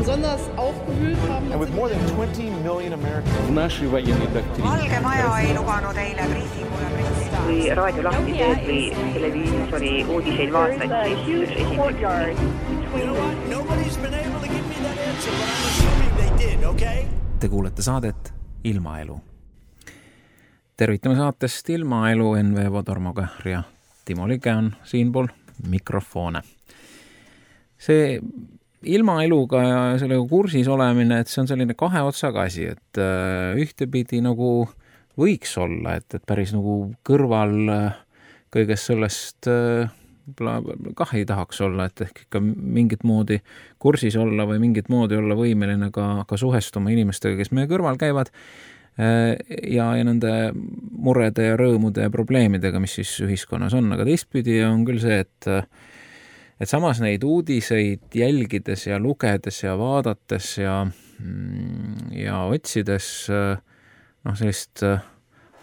besonders aufgewühlt haben. And with more than 20 million Americans. Valge Maja ei lubanud eile briifingule pressida. Kui raadio lahti teed või televiisori uudiseid vaatad, siis Nobody's been able to give me that answer, but I'm assuming they did, okay? Te kuulete saadet Ilmaelu. Tervitame saatest Ilmaelu NV Vodormogar ja Timo Lige on siinpool mikrofone. See ilmaeluga ja sellega kursis olemine, et see on selline kahe otsaga asi, et ühtepidi nagu võiks olla, et päris nagu kõrval kõigest sellest kah ei tahaks olla, et ehk ikka mingit moodi kursis olla või mingit moodi olla võimeline ka suhestuma inimestega, kes meie kõrval käivad ja nende murede ja rõõmude ja probleemidega, mis siis ühiskonnas on. Aga teistpidi on küll see, et samas neid uudiseid jälgides ja lugedes ja vaadates ja otsides sellist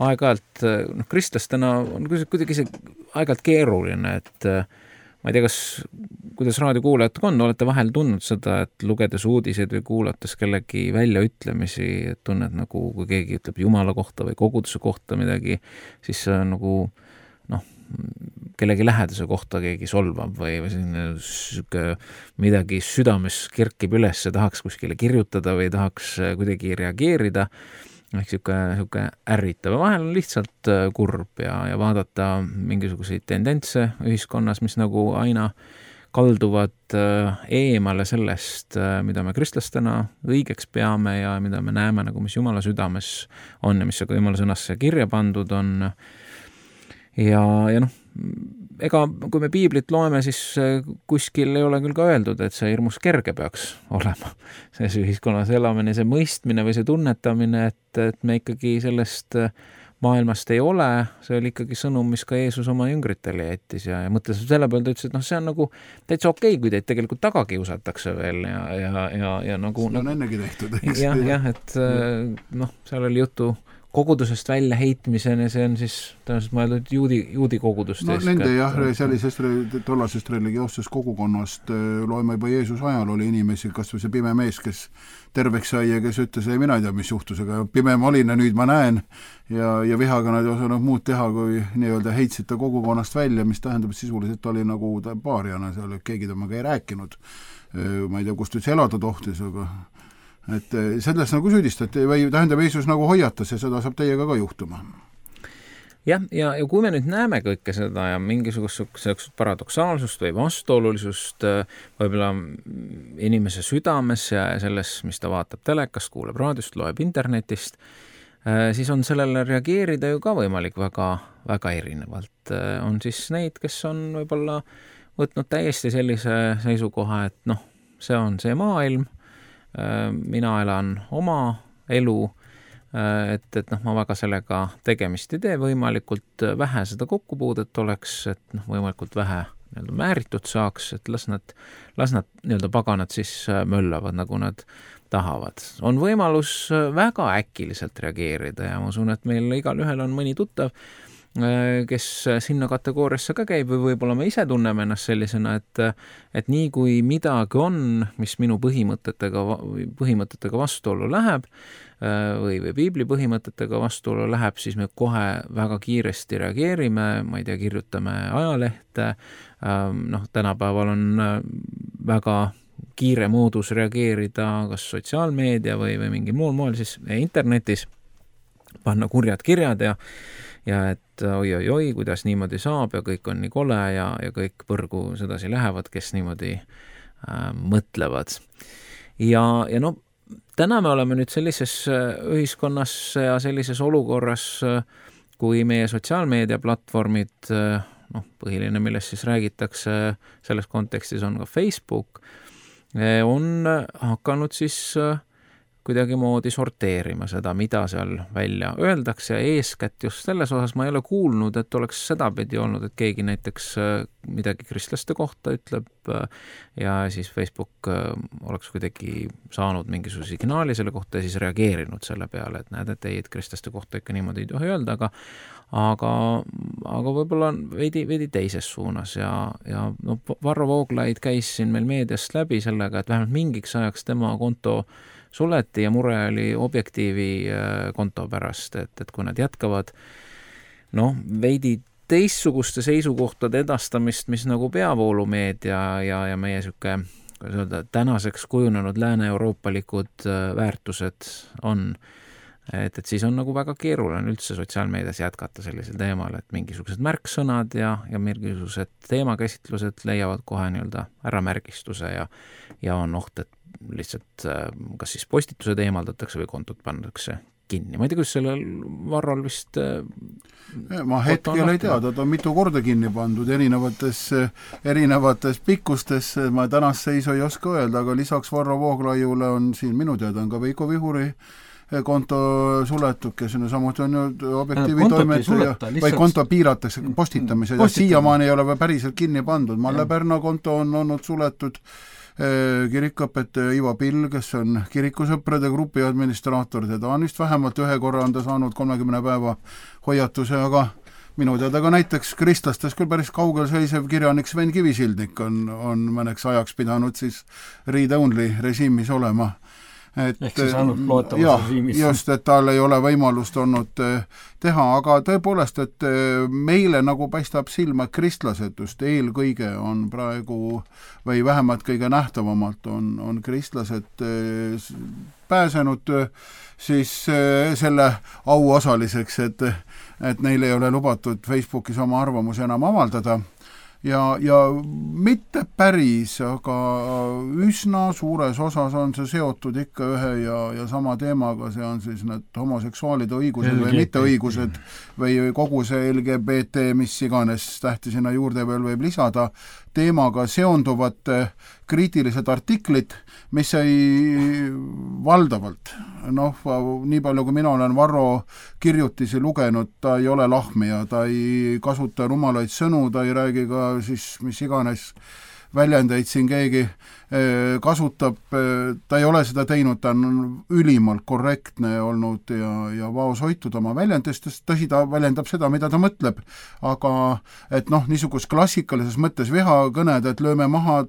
aeg-ajalt, kristlastena on kuidagi see aeg-ajalt keeruline, et ma ei tea, kuidas raadiokuulajatega on, olete vahel tundnud seda, et lugedes uudiseid või kuulates kellegi väljaütlemisi, et tunned nagu, kui keegi ütleb Jumala kohta või koguduse kohta midagi, siis nagu kellegi lähedase kohta keegi solvab või midagi südames kerkib üles ja tahaks kuskile kirjutada või tahaks kuidagi reageerida. Ehk siuke ärritav. Vahel on lihtsalt kurb ja vaadata mingisuguseid tendentse ühiskonnas, mis nagu aina kalduvad eemale sellest, mida me kristlastena õigeks peame ja mida me näeme, nagu mis Jumala südames on ja mis ka Jumala sõnasse kirja pandud on. Ja ega kui me piiblit loeme, siis kuskil ei ole küll ka öeldud, et see hirmus kerge peaks olema. See ühiskonnas elamine, see mõistmine või see tunnetamine, et me ikkagi sellest maailmast ei ole, see oli ikkagi sõnum, mis ka Jeesus oma jüngritele jättis ja mõtles selle peale, ta ütles, et see on nagu täitsa okei, kui teid tegelikult taga kiusatakse veel ja nagu... See on ennegi tehtud, eks? Jah, et seal oli juttu kogudusest välja heitmiseni, see on siis tõenäoliselt mõeldud juudi kogudust. Nende sellisest tollasest religioossest kogukonnast loeme juba Jeesus ajal oli inimesi, kas või see pime mees, kes terveks sai ja kes ütles, ei mina ei tea, mis juhtus, aga pime ma olin ja nüüd ma näen ja vihaga nad ei osanud muud teha, kui nii-öelda heitsid ta kogukonnast välja, mis tähendab, et sisuliselt oli nagu paariana seal, keegi temaga ei rääkinud. Ma ei tea, kust üldse elada tohtis, aga et selles nagu süüdistati või tähendab Jeesus nagu hoiatas ja seda saab teiega ka juhtuma. Jah, ja kui me nüüd näeme kõike seda ja mingisugust paradoksaalsust või vastuolulisust võib-olla inimese südames ja selles, mis ta vaatab telekast, kuuleb raadiost, loeb internetist, siis on sellele reageerida ju ka võimalik väga, väga erinevalt. On siis neid, kes on võib-olla võtnud täiesti sellise seisukoha, et see on see maailm, mina elan oma elu, et ma väga sellega tegemist ei tee, võimalikult vähe seda kokkupuudet oleks, et võimalikult vähe määritud saaks, et las nad paganad siis möllavad, nagu nad tahavad. On võimalus väga äkiliselt reageerida ja ma usun, et meil igal ühel on mõni tuttav, kes sinna kategooriasse ka käib või võib-olla me ise tunneme ennast sellisena, et nii kui midagi on, mis minu põhimõtetega vastuollu läheb või piibli põhimõtetega vastuollu läheb, siis me kohe väga kiiresti reageerime, ma ei tea, kirjutame ajalehte, tänapäeval on väga kiire moodus reageerida kas sotsiaalmeedia või mingi muul moel siis internetis, panna kurjad kirjad ja et oi, kuidas niimoodi saab ja kõik on nii kole ja kõik põrgu sedasi lähevad, kes niimoodi mõtlevad. Ja täna me oleme nüüd sellises ühiskonnas ja sellises olukorras, kui meie sotsiaalmeediaplatvormid, põhiline, millest siis räägitakse selles kontekstis on ka Facebook, on hakanud siis kuidagimoodi sorteerima seda, mida seal välja öeldakse ja eeskätt just selles osas ma ei ole kuulnud, et oleks sedapidi olnud, et keegi näiteks midagi kristlaste kohta ütleb ja siis Facebook oleks kuidagi saanud mingisuguse signaali selle kohta ja siis reageerinud selle peale, et näed, et ei, et kristlaste kohta ikka niimoodi ei tohi öelda, aga võib-olla veidi teises suunas ja no, Varro Vooglaid käis siin meil meediast läbi sellega, et vähemalt mingiks ajaks tema konto suleti ja mure oli Objektiivi konto pärast, et kui nad jätkavad veidi teistsuguste seisukohtade edastamist, mis nagu peavoolumeedia ja meie süke, kuidas öelda, tänaseks kujunenud lääne-euroopalikud väärtused on, et siis on nagu väga keeruline üldse sotsiaalmeedias jätkata sellisel teemal, et mingisugused märksõnad ja mingisugused teemakäsitlused leiavad kohe nii-öelda äramärgistuse ja on oht, et lihtsalt kas siis postitused eemaldatakse või kontot pannakse kinni. Ma ei tea, kus sellel Varrol vist ma hetkel ei tea, ta on mitu korda kinni pandud erinevates pikkustes, ma tänast seisu ei oska öelda, aga lisaks Varro Vooglaiule on siin minu teada on ka Veiko Vihuri konto suletud, kes on samuti on ju Objektiivi toimetaja, või konto piiratakse postitamised ja siiamaani ei ole päriselt kinni pandud. Malle Pärna konto on olnud suletud, kirikuõpetaja Ivo Pill, kes on kirikusõprade grupi administraator, teda on vist vähemalt ühe korra on ta saanud 30 päeva hoiatuse, aga minu teada ka näiteks kristlastes küll päris kaugel seisev kirjanik Sven Kivisildnik on mõneks ajaks pidanud siis read-only režiimis olema. Ehk siis ainult loetavas režiimis. Just, et tal ei ole võimalust olnud teha, aga tõepoolest, et meile nagu paistab silma, et kristlased just eelkõige on praegu või vähemalt kõige nähtavamalt on kristlased pääsenud siis selle auosaliseks, et neil ei ole lubatud Facebookis oma arvamusi enam avaldada. Ja mitte päris, aga üsna suures osas on see seotud ikka ühe ja sama teemaga, see on siis need homoseksuaalide õigused või mitteõigused või kogu see LGBT, mis iganes tähti sinna juurde veel võib lisada, teemaga seonduvad kriitilised artiklid, mis ei valdavalt, nii palju kui mina olen Varro kirjutisi lugenud, ta ei ole lahmija, ta ei kasuta rumalaid sõnu, ta ei räägi ka siis mis iganes väljendeid siin keegi kasutab, ta ei ole seda teinud, ta on ülimalt korrektne olnud ja vaoshoitud oma väljendustest, tõsi, ta väljendab seda, mida ta mõtleb, aga et niisugust klassikalises mõttes vihakõned, et lööme maha,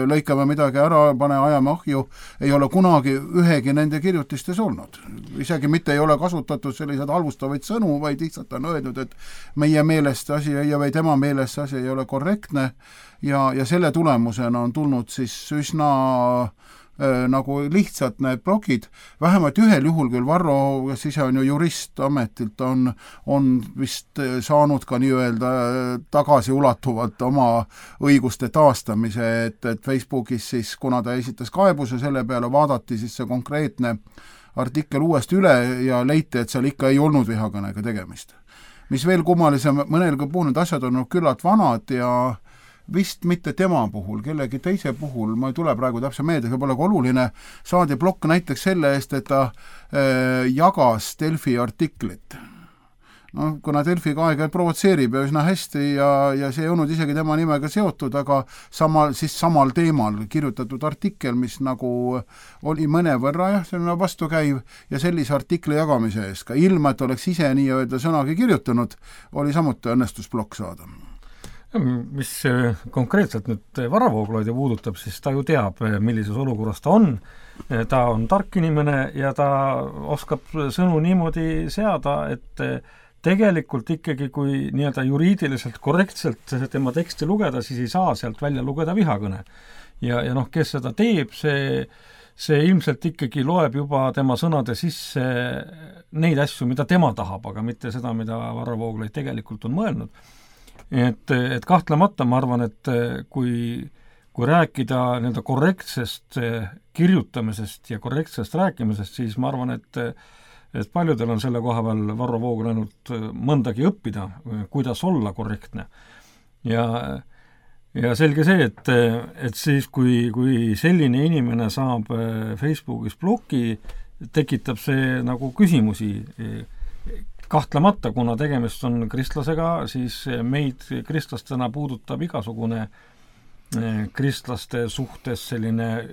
lõikame midagi ära, pane ajame ahju, ei ole kunagi ühegi nende kirjutistes olnud. Isegi mitte ei ole kasutatud selliseid halvustavaid sõnu, vaid lihtsalt on öeldud, et meie meelest asi või tema meelest asi ei ole korrektne ja selle tulemusena on tulnud siis üsna nagu lihtsalt need blogid, vähemalt ühel juhul küll Varro, kes ise on ju jurist ametilt, on vist saanud ka nii-öelda tagasiulatuvalt oma õiguste taastamise, et Facebookis siis, kuna ta esitas kaebuse selle peale, vaadati siis see konkreetne artikkel uuesti üle ja leiti, et seal ikka ei olnud vihakõnega tegemist. Mis veel kummalisem, mõnel puhul need asjad on küllalt vanad ja vist mitte tema puhul, kellegi teise puhul, ma ei tule praegu täpse meelde, see pole ka oluline, saadi plokk näiteks selle eest, et ta jagas Delfi artiklit. Kuna Delfi ka aeg-ajalt provotseerib ja üsna hästi ja see ei olnud isegi tema nimega seotud, aga samal teemal kirjutatud artikkel, mis nagu oli mõnevõrra selline vastukäiv ja sellise artikli jagamise eest, ka ilma, et oleks ise nii-öelda sõnagi kirjutanud, oli samuti õnnestusplokk saada. Mis konkreetselt nüüd Varro Vooglaidi puudutab, siis ta ju teab, millises olukorras ta on tark inimene ja ta oskab sõnu niimoodi seada, et tegelikult ikkagi, kui nii-öelda juriidiliselt korrektselt tema teksti lugeda, siis ei saa sealt välja lugeda vihakõne. Ja kes seda teeb, see ilmselt ikkagi loeb juba tema sõnade sisse neid asju, mida tema tahab, aga mitte seda, mida Varro Vooglaid tegelikult on mõelnud. Et kahtlemata ma arvan, et kui rääkida nende korrektsest kirjutamisest ja korrektsest rääkimisest, siis ma arvan, et paljudel on selle koha peal Varro Vooglaid ainult mõndagi õppida, kuidas olla korrektne. Ja ja selge see, et siis, kui selline inimene saab Facebookis bloki, tekitab see nagu küsimusi. Kahtlemata, kuna tegemist on kristlasega, siis meid kristlastena puudutab igasugune kristlaste suhtes selline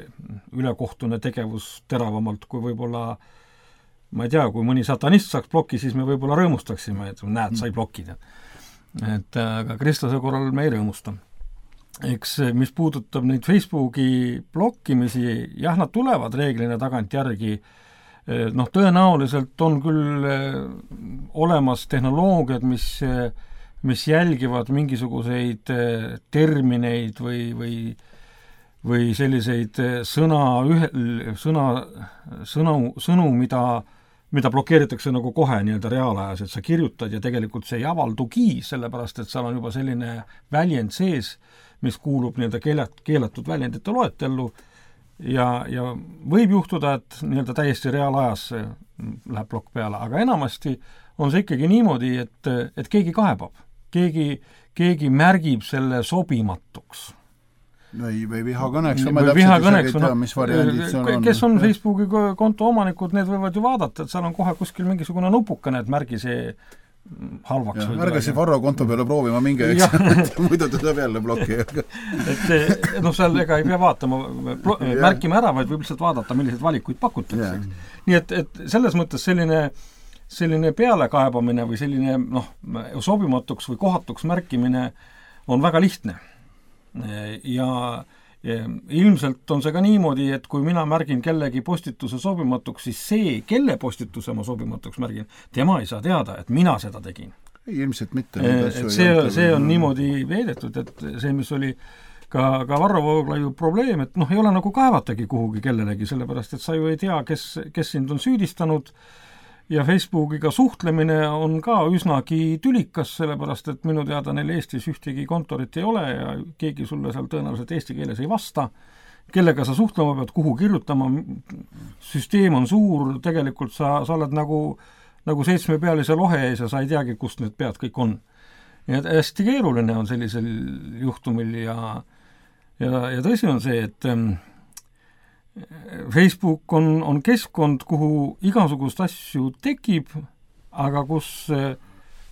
ülekohtune tegevus teravamalt, kui võib-olla, ma ei tea, kui mõni satanist saaks bloki, siis me võib-olla rõõmustaksime, et näed, sai blokida. Et aga kristlase korral me ei rõõmusta. Eks mis puudutab neid Facebooki blokkimisi, jah, nad tulevad reeglina tagant järgi. Noh, tõenäoliselt on küll olemas tehnoloogiad, mis jälgivad mingisuguseid termineid või selliseid sõnu, mida blokeeritakse nagu kohe nii-öelda reaalajas, et sa kirjutad ja tegelikult see ei avaldugi, sellepärast et seal on juba selline väljend sees, mis kuulub nii-öelda keelatud väljendite loetellu ja võib juhtuda, et nii-öelda täiesti reaalajas läheb blokk peale, aga enamasti on see ikkagi niimoodi, et keegi kaebab. Keegi märgib selle sobimatuks. Või vihakõneks. Kes on Facebooki konto omanikud, need võivad ju vaadata, et seal on kohe kuskil mingisugune nupukene, et märgi see halvaks. Ärge see Varro konto peale proovima minge, muidu ta saab jälle blokki. et seal ega ei pea vaatama, märkima ära, vaid võib lihtsalt vaadata, milliseid valikuid pakutakse. Nii et selles mõttes selline pealekaebamine või selline sobimatuks või kohatuks märkimine on väga lihtne. Ja ilmselt on see ka niimoodi, et kui mina märgin kellegi postituse sobimatuks, siis see, kelle postituse ma sobimatuks märgin, tema ei saa teada, et mina seda tegin. Ilmselt mitte. See on niimoodi veedetud, et see, mis oli ka Varro Vooglaiu probleem, et ei ole nagu kaevatagi kuhugi kellelegi, sellepärast, et sa ju ei tea, kes sind on süüdistanud ja Facebookiga suhtlemine on ka üsnagi tülikas, sellepärast, et minu teada neil Eestis ühtegi kontorit ei ole ja keegi sulle seal tõenäoliselt eesti keeles ei vasta. Kellega sa suhtlema pead, kuhu kirjutama, süsteem on suur, tegelikult sa oled nagu 7-pealise lohe ees ja sa ei teagi, kust need pead kõik on. Ja hästi keeruline on sellisel juhtumil ja tõsi on see, et Facebook on keskkond, kuhu igasugust asju tekib, aga kus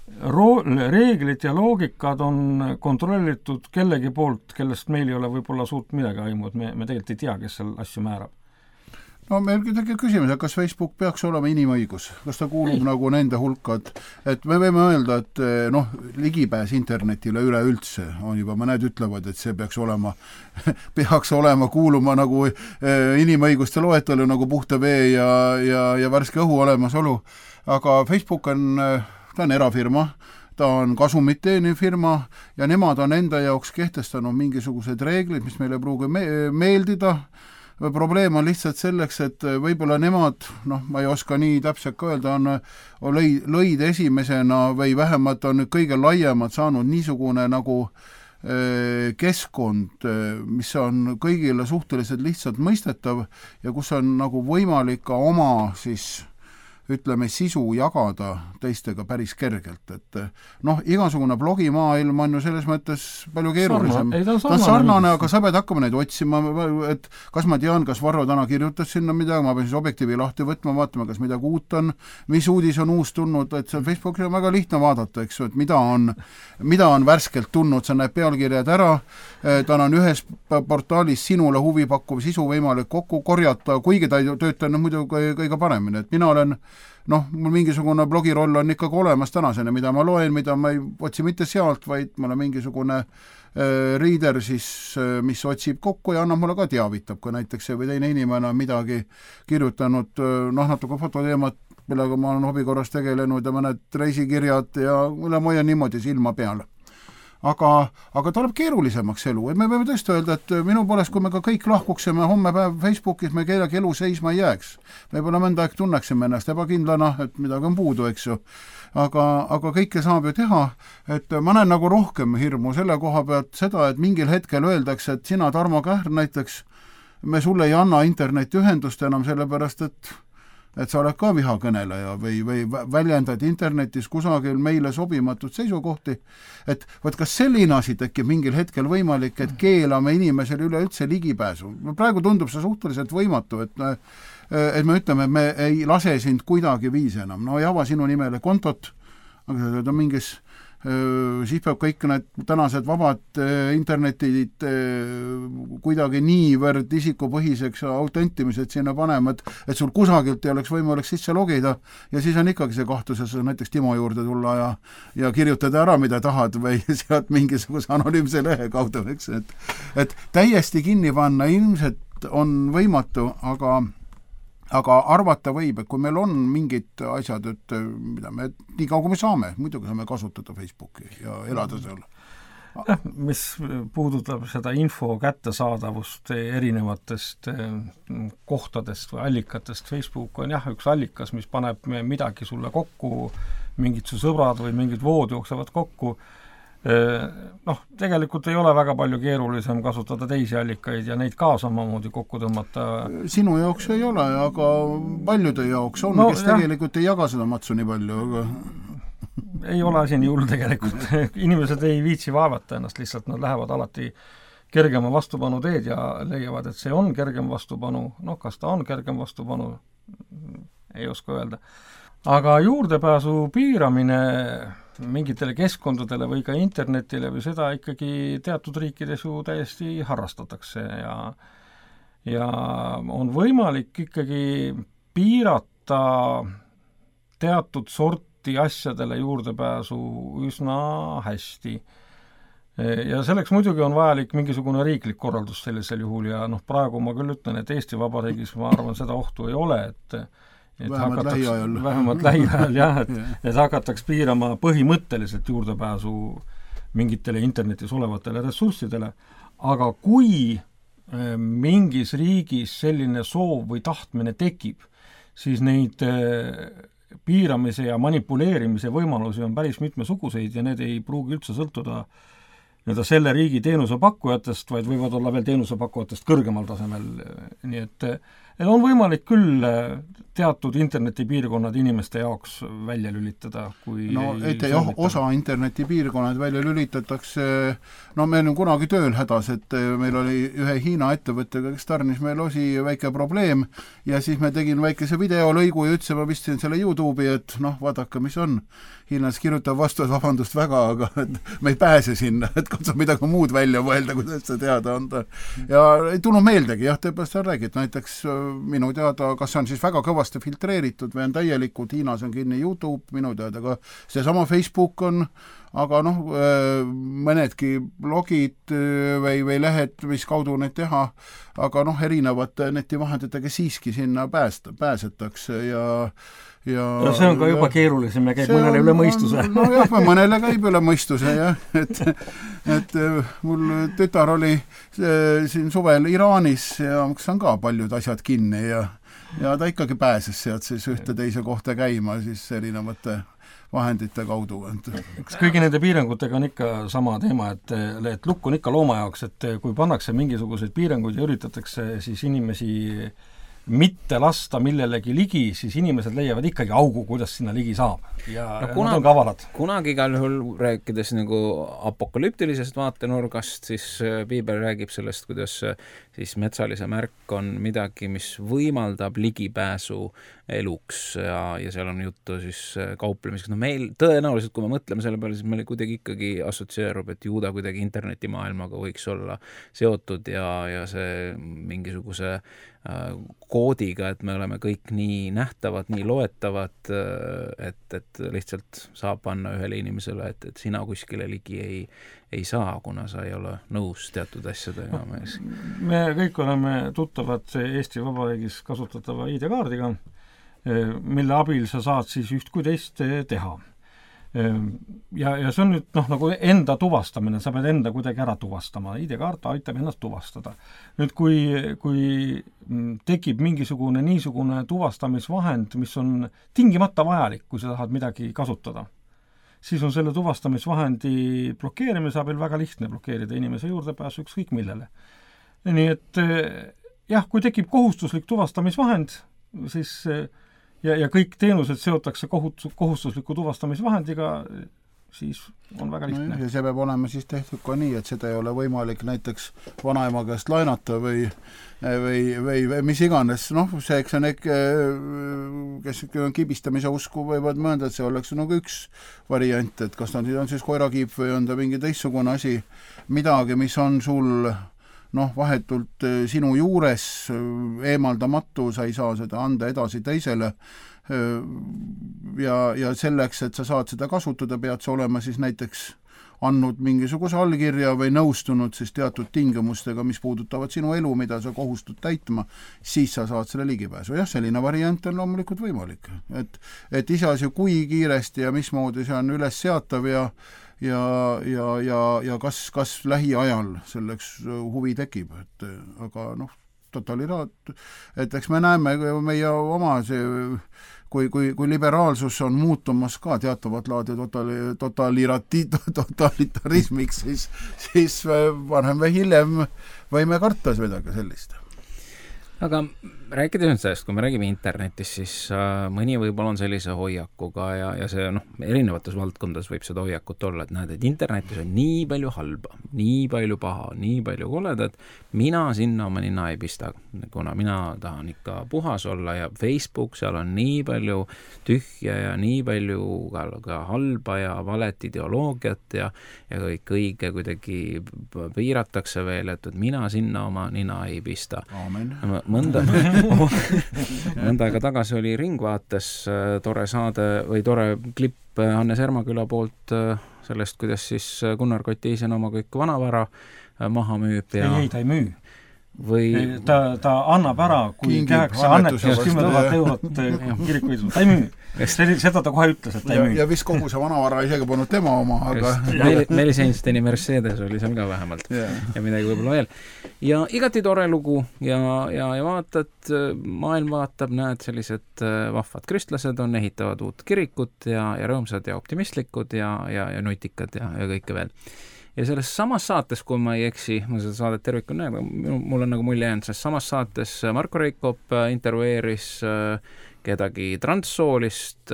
reeglid ja loogikad on kontrollitud kellegi poolt, kellest meil ei ole võib-olla suurt midagi aimu, et me tegelikult ei tea, kes seal asju määrab. No meil tekib küsimus, et kas Facebook peaks olema inimõigus? Kas ta kuulub nagu nende hulka, et me võime öelda, et ligipääs internetile üleüldse on juba, mõned ütlevad, et see peaks olema kuuluma nagu inimõiguste loetelu, nagu puhta vee ja värske õhu olemasolu. Aga Facebook ta on erafirma, ta on kasumit teeniv firma ja nemad on enda jaoks kehtestanud mingisugused reeglid, mis meile pruugi meeldida. Probleem on lihtsalt selleks, et võib-olla nemad, ma ei oska nii täpselt ka öelda, lõid esimesena või vähemalt on kõige laiemalt saanud niisugune nagu keskkond, mis on kõigile suhteliselt lihtsalt mõistetav ja kus on nagu võimalik ka oma ütleme, sisu jagada teistega päris kergelt, et igasugune blogimaailm on ju selles mõttes palju keerulisem. Ta on sarnane, aga sa pead hakkama neid otsima, et kas ma tean, kas Varro täna kirjutas sinna midagi, ma pean siis objektiivi lahti võtma, vaatama, kas midagi uut on, mis uudis on uus tulnud, et seal Facebookis on väga lihtne vaadata, eks ju, et mida on värskelt tulnud, sa näed pealkirjad ära, ta on ühes portaalis sinule huvipakkuv sisu võimalik kokku korjata, kuigi ta ei töötanud muidu kõige paremini, et mina olen mul mingisugune blogiroll on ikkagi olemas tänasena, mida ma loen, mida ma ei otsi mitte sealt, vaid mul on mingisugune reader siis, mis otsib kokku ja annab mulle ka teavitab, kui näiteks see või teine inimene on midagi kirjutanud, natuke fototeemat, millega ma olen hobikorras tegelenud ja mõned reisikirjad ja mulle ma hoian niimoodi silma peal. Aga tuleb keerulisemaks elu, et me võime tõesti öelda, et minu poolest, kui me ka kõik lahkuksime homme päev Facebookis, me kellegi elu seisma ei jääks. Võib-olla mõnda aeg tunneksime ennast ebakindlana, et midagi on puudu, eks ju. Aga kõike saab ju teha, et ma näen nagu rohkem hirmu selle koha pealt seda, et mingil hetkel öeldakse, et sina, Tarmo Kähr näiteks, me sulle ei anna internetiühendust enam sellepärast, et et sa oled ka vihakõneleja või väljendad internetis kusagil meile sobimatut seisukohti, et võt kas selline asi tekib mingil hetkel võimalik, et keelame inimesel üleüldse ligipääsu. Praegu tundub see suhteliselt võimatu, et me ütleme, et me ei lase sind kuidagi viisi enam. No ei ava sinu nimele kontot, aga see on mingis siis peab kõik need tänased vabad internetid kuidagi niivõrd isikupõhiseks autentimised sinna panema, et sul kusagilt ei oleks võimalik sisse logida ja siis on ikkagi see kahtlus, et sa näiteks Timo juurde tulla ja kirjutada ära, mida tahad või sealt mingisuguse anonüümse lehe kaudu, eks, et täiesti kinni panna ilmselt on võimatu, aga arvata võib, et kui meil on mingid asjad, et mida me nii kaua kui me saame, muidugi saame kasutada Facebooki ja elada seal. Mis puudutab seda info kättesaadavust erinevatest kohtadest või allikatest, Facebook on üks allikas, mis paneb midagi sulle kokku, mingid su sõbrad või mingid vood jooksevad kokku. Tegelikult ei ole väga palju keerulisem kasutada teisi allikaid ja neid ka samamoodi kokku tõmmata. Sinu jaoks ei ole, aga paljude jaoks on, kes tegelikult ei jaga seda matsu nii palju, aga ei ole asi nii hull tegelikult. Inimesed ei viitsi vaevata ennast, lihtsalt nad lähevad alati kergema vastupanu teed ja leiavad, et see on kergem vastupanu. Kas ta on kergem vastupanu? Ei oska öelda. Aga juurdepääsu piiramine mingitele keskkondadele või ka internetile või seda ikkagi teatud riikides ju täiesti harrastatakse ja on võimalik ikkagi piirata teatud sorti asjadele juurdepääsu üsna hästi. Ja selleks muidugi on vajalik mingisugune riiklik korraldus sellisel juhul ja praegu ma küll ütlen, et Eesti Vabariigis ma arvan, seda ohtu ei ole, et vähemalt lähiajal jah, et hakataks piirama põhimõtteliselt juurdepääsu mingitele internetis olevatele ressurssidele, aga kui mingis riigis selline soov või tahtmine tekib, siis neid piiramise ja manipuleerimise võimalusi on päris mitmesuguseid ja need ei pruugi üldse sõltuda selle riigi teenusepakkujatest, vaid võivad olla veel teenusepakkujatest kõrgemal tasemel, nii et on võimalik küll teatud internetipiirkonnad inimeste jaoks välja lülitada, kui osa internetipiirkonnad välja lülitatakse, me olime kunagi tööl hädas, et meil oli ühe Hiina ettevõttega, kes tarnis meil osi väike probleem ja siis me tegin väikese videolõigu ja ütlesin, ma vistsin selle YouTube'i, et vaadake, mis on. Hiinas kirjutab vastu, et vabandust väga, aga me ei pääse sinna, et katsu midagi muud välja mõelda, kuidas see teada anda. Ja ei tulnud meeldegi, tõepoolest sa räägid, näiteks minu teada, kas see on siis väga kõvasti filtreeritud või on täielikult, Hiinas on kinni YouTube, minu teada ka seesama Facebook on, aga mõnedki blogid või lehed, mis kaudu neid teha, aga erinevate netivahenditega siiski sinna pääsetakse ja see on ka juba keerulisem ja käib mõnele üle mõistuse. Mõnele käib üle mõistuse, jah. Et mul tütar oli siin suvel Iraanis ja kus on ka paljud asjad kinni ja ta ikkagi pääses sealt siis ühte teise kohta käima siis erinevate vahendite kaudu. Kõigi nende piirangutega on ikka sama teema, et lukk on ikka looma jaoks, et kui pannakse mingisuguseid piiranguid ja üritatakse siis inimesi mitte lasta millelegi ligi, siis inimesed leiavad ikkagi augu, kuidas sinna ligi saab. Ja nad on kavalad. Kunagi igal juhul rääkides nagu apokalüptilisest vaatenurgast, siis Piibel räägib sellest, kuidas siis metsalise märk on midagi, mis võimaldab ligipääsu eluks ja seal on juttu siis kauplemiseks. Meil tõenäoliselt, kui me mõtleme selle peale, siis meil kuidagi ikkagi assotsieerub, et juuda kuidagi internetimaailmaga võiks olla seotud ja see mingisuguse koodiga, et me oleme kõik nii nähtavad, nii loetavad, et lihtsalt saab panna ühele inimesele, et sina kuskile ligi ei saa, kuna sa ei ole nõus teatud asjadega. Me kõik oleme tuttavad Eesti Vabariigis kasutatava ID-kaardiga, mille abil sa saad siis üht kui teist teha. Ja see on nüüd nagu enda tuvastamine, sa pead enda kuidagi ära tuvastama. ID-kaart aitab ennast tuvastada. Nüüd kui tekib mingisugune niisugune tuvastamisvahend, mis on tingimata vajalik, kui sa tahad midagi kasutada, siis on selle tuvastamisvahendi blokeerimise abil väga lihtne blokeerida inimese juurdepääsu ükskõik millele. Nii et jah, kui tekib kohustuslik tuvastamisvahend, siis ja kõik teenused seotakse kohustusliku tuvastamisvahendiga, siis on väga lihtne. Ja see peab olema siis tehtud ka nii, et seda ei ole võimalik näiteks vanaema käest laenata või mis iganes. See, eks on kes kibistamise usku võivad mõelda, et see oleks nagu üks variant, et kas ta on siis koerakiip või on ta mingi teistsugune asi, midagi, mis on sul vahetult sinu juures eemaldamatu, sa ei saa seda anda edasi teisele ja selleks, et sa saad seda kasutada, pead sa olema siis näiteks andnud mingisuguse allkirja või nõustunud siis teatud tingimustega, mis puudutavad sinu elu, mida sa kohustud täitma, siis sa saad selle ligipääsu. Jah, selline variant on loomulikult võimalik. Et iseasi, kui kiiresti ja mismoodi see on üles seatav ja kas lähiajal selleks huvi tekib. Aga et eks me näeme meie oma kui liberaalsus on muutumas ka teatavat laadi totalitarismiks, siis varem või hiljem võime karta midagi sellist. Aga rääkides nüüd sellest, kui me räägime internetist, siis mõni võib-olla on sellise hoiakuga ja see erinevates valdkondades võib seda hoiakut olla, et näed, et internetis on nii palju halba, nii palju paha, nii palju koledat, mina sinna oma nina ei pista, kuna mina tahan ikka puhas olla ja Facebook, seal on nii palju tühja ja nii palju ka halba ja valet ideoloogiat ja kõike kuidagi piiratakse veel, et mina sinna oma nina ei pista. Aamen. Mõnda aega tagasi oli Ringvaates tore saade või tore klipp Hannes Ermaküla poolt sellest, kuidas siis Gunnar Kott Eisen oma kõik vanavara maha müüb ja... Ei, ta ei müü. Või... Ta annab ära, kui tehakse annetus 10 000 eurot kirikuidus. Ta ei müü. Seda ta kohe ütles, et ta ei müü. Ja vist kogu see vanavara isegi polnud tema oma, aga... Meelis Einsteini Mercedes oli seal ka vähemalt ja midagi võib-olla veel. Ja igati tore lugu ja vaatad, maailm vaatab, näed, sellised vahvad kristlased on, ehitavad uut kirikut ja rõõmsad ja optimistlikud ja nutikad ja kõike veel. Ja selles samas saates, kui ma ei eksi, ma seda saadet tervikul näen, mul on nagu mulje jäänud, selles samas saates Marko Reikop intervjueeris kedagi transsoolist,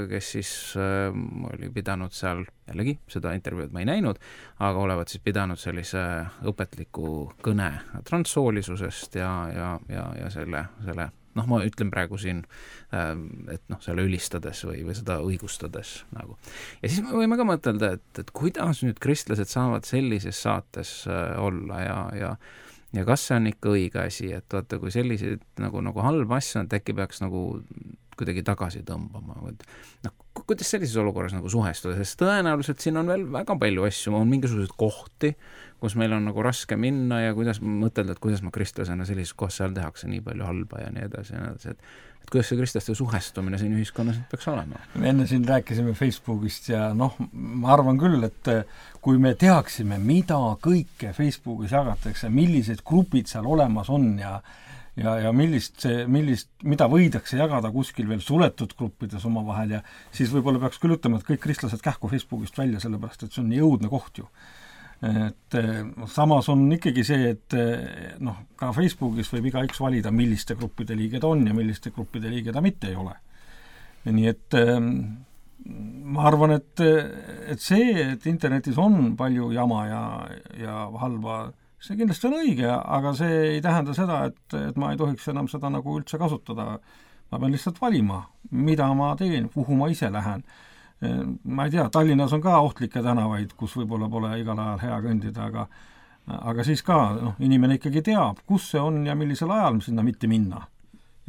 kes siis oli pidanud seal, jällegi seda intervjuud ma ei näinud, aga olevat siis pidanud sellise õpetliku kõne transsoolisusest ja selle ma ütlen praegu siin, et selle ülistades või seda õigustades nagu. Ja siis me võime ka mõtelda, et kuidas nüüd kristlased saavad sellises saates olla ja kas see on ikka õige asi, et vaata, kui selliseid nagu halba asja, et äkki peaks nagu kuidagi tagasi tõmbama. Kuidas sellises olukorras nagu suhestuda, sest tõenäoliselt siin on veel väga palju asju, on mingisuguseid kohti, kus meil on nagu raske minna ja kuidas mõtelda, et kuidas ma kristlasena sellises kohas seal tehakse nii palju halba ja nii edasi, et kuidas see kristlaste suhestumine siin ühiskonnas peaks olema? Me enne siin rääkisime Facebookist ja ma arvan küll, et kui me teaksime, mida kõike Facebookis jagatakse, millised grupid seal olemas on ja mida võidakse jagada kuskil veel suletud gruppides omavahel ja siis võib-olla peaks küll ütlema, et kõik kristlased kähku Facebookist välja, sellepärast et see on nii õudne koht ju. Et samas on ikkagi see, et ka Facebookis võib igaüks valida, milliste gruppide liige ta on ja milliste gruppide liige ta mitte ei ole. Nii et ma arvan, et see, et internetis on palju jama ja halba, see kindlasti on õige, aga see ei tähenda seda, et ma ei tohiks enam seda nagu üldse kasutada. Ma pean lihtsalt valima, mida ma teen, kuhu ma ise lähen. Ma ei tea, Tallinnas on ka ohtlikke tänavaid, kus võib-olla pole igal ajal hea kõndida, aga siis ka inimene ikkagi teab, kus see on ja millisel ajal sinna mitte minna.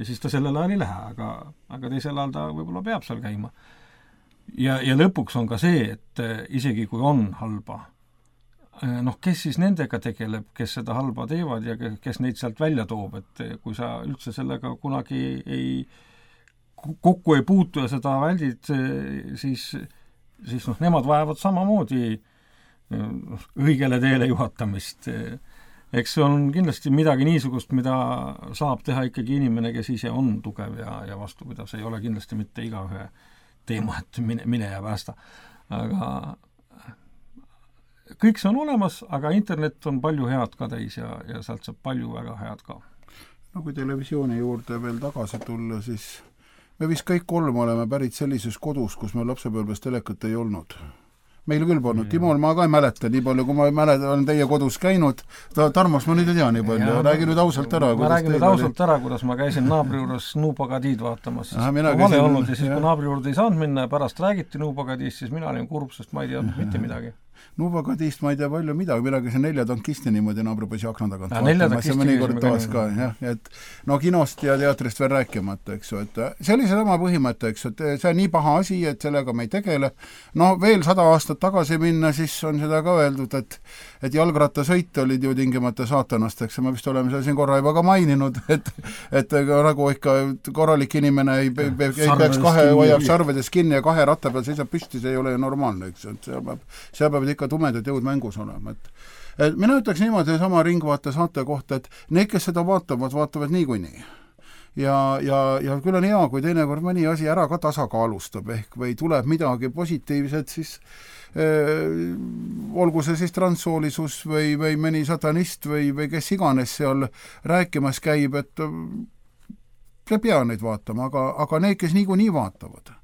Ja siis ta sellel ajal ei lähe, aga teisel ajal ta võib-olla peab seal käima. Ja lõpuks on ka see, et isegi kui on halba, kes siis nendega tegeleb, kes seda halba teevad ja kes neid sealt välja toob, et kui sa üldse sellega kunagi kokku ei puutu ja seda väldid, siis nemad vajavad samamoodi õigele teele juhatamist. Eks see on kindlasti midagi niisugust, mida saab teha ikkagi inimene, kes ise on tugev ja vastupidav. See ei ole kindlasti mitte igaühe teema, et mine ja päästa. Aga kõik see on olemas, aga internet on palju head ka täis ja sealt saab palju väga head ka. Kui televisiooni juurde veel tagasi tulla, siis me vist kõik kolm oleme pärit sellises kodus, kus meil lapsepõlves telekat ei olnud. Meil küll polnud. Timol ma ka ei mäleta nii palju, kui ma olen teie kodus käinud. Tarmos ma nüüd ei tea nii palju. Räägi nüüd ausalt ära. Ma räägin nüüd ausalt ära, kuidas ma käisin naabri juures Nuupagadiid vaatamas. Vale olnud ja siis, kui naabri juurde ei saanud minna ja pärast räägiti Nuupagadiist, siis mina olin kurb, sest ma ei teadnud mitte midagi. Nuupagadiist ma ei tea palju midagi, mina käisin 4 tankisti niimoodi naabripoisi akna tagant vaatamas ja mõnikord toas ka, jah, et no kinost ja teatrist veel rääkimata, eks ju, et see oli sama põhimõte, eks ju, et see on nii paha asi, et sellega me ei tegele. No veel 100 aastat tagasi minna, siis on seda ka öeldud, et jalgrattasõit olid ju tingimata saatanast, eks me vist oleme seda siin korra juba ka maininud, et nagu ikka korralik inimene ei peaks hoiab sarvedes kinni ja 2 ratta peal seisab püsti, see ei ole ju normaalne, eks ju, et seal peavad ikka tumedad jõud mängus olema, et mina ütleks niimoodi sama Ringvaate saate kohta, et need, kes seda vaatavad niikuinii. Ja küll on hea, kui teinekord mõni asi ära ka tasakaalustab ehk või tuleb midagi positiivset, siis olgu see siis transsoolisus või mõni satanist või kes iganes seal rääkimas käib, et ei pea neid vaatama, aga need, kes niikuinii vaatavad,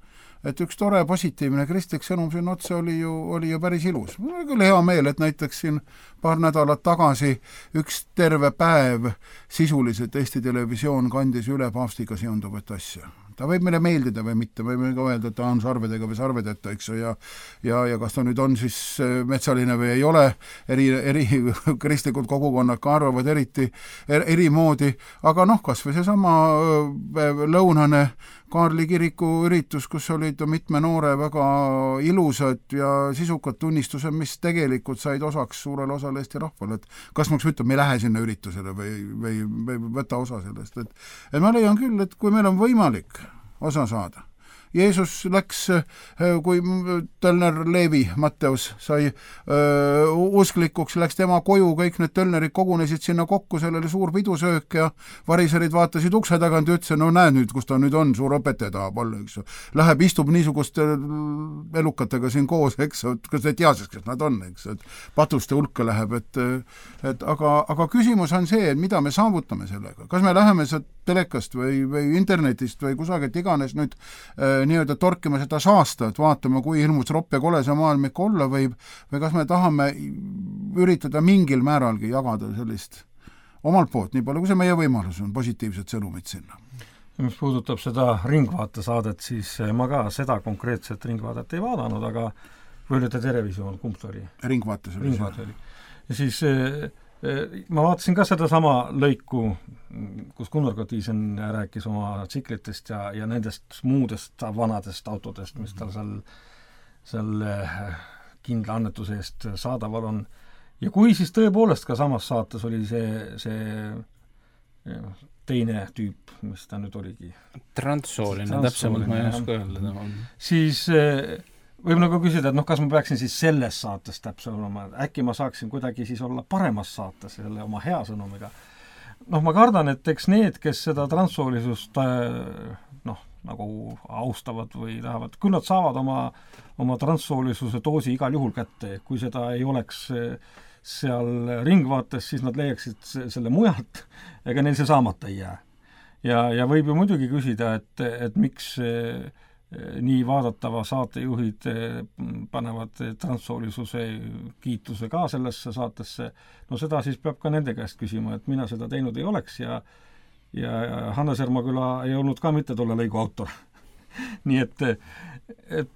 et üks tore positiivne kristlik sõnum siin otse oli ju päris ilus. Mul oli küll hea meel, et näiteks siin paar nädalat tagasi üks terve päev sisuliselt Eesti Televisioon kandis üle paavstiga seonduvat asja. Ta võib meile meeldida või mitte, võime ka öelda, et ta on sarvedega või sarvedeta, eks ju, ja kas ta nüüd on siis metsaline või ei ole, eri kristlikud kogukonnad ka arvavad eri moodi, aga kas või seesama lõunane Kaarli kiriku üritus, kus olid mitme noore väga ilusad ja sisukad tunnistused, mis tegelikult said osaks suurele osale Eesti rahvale, et kas ma ütleb, me ei lähe sinna üritusele või võta osa sellest, et ma leian küll, et kui meil on võimalik osa saada. Jeesus läks, kui Tölner Leevi, Matteus, sai usklikuks, läks tema koju, kõik need Tölnerid kogunesid sinna kokku, seal oli suur pidusöök ja variserid vaatasid ukse tagant ja ütlesid, no näe nüüd, kus ta nüüd on, suur õpetaja tahab olla, eks ju. Läheb, istub niisuguste elukatega siin koos, eks ju, kas te teadsid, kes nad on, eks ju, et patuste hulka läheb, aga küsimus on see, et mida me saavutame sellega. Kas me läheme sealt telekast või internetist või kusagilt iganes nüüd nii-öelda torkima seda saasta, et vaatame, kui hirmus ropp ja kole see maailm ikka olla võib, või kas me tahame üritada mingil määralgi jagada sellist omalt poolt, nii palju kui see meie võimalus on, positiivset sõnumit sinna. Mis puudutab seda Ringvaate saadet, siis ma ka seda konkreetset Ringvaadet ei vaadanud, aga või oli ta Terevisioon, kumb ta oli? Ringvaates oli. Ja siis ma vaatasin ka seda sama lõiku, kus Gunnar Kotiisen rääkis oma tsiklitest ja nendest muudest vanadest autodest, mis tal seal kindla annetuse eest saadaval on. Ja kui siis tõepoolest ka samas saates oli see teine tüüp, mis ta nüüd oligi. Transsooline, täpsemalt ma ei oska öelda. Siis võib nagu küsida, et kas ma peaksin siis selles saates täpselt olema, äkki ma saaksin kuidagi siis olla paremas saates selle oma hea sõnumiga. Ma kardan, et eks need, kes seda transsoolisust nagu austavad või tahavad, küll nad saavad oma transsoolisuse doosi igal juhul kätte, kui seda ei oleks seal Ringvaates, siis nad leiaksid selle mujalt, ega neil see saamata ei jää. Ja võib ju muidugi küsida, et miks nii vaadatava saatejuhid panevad transsoolisuse kiituse ka sellesse saatesse, seda siis peab ka nende käest küsima, et mina seda teinud ei oleks ja Hannes Ermaküla ei olnud ka mitte tolle lõigu autor. Nii et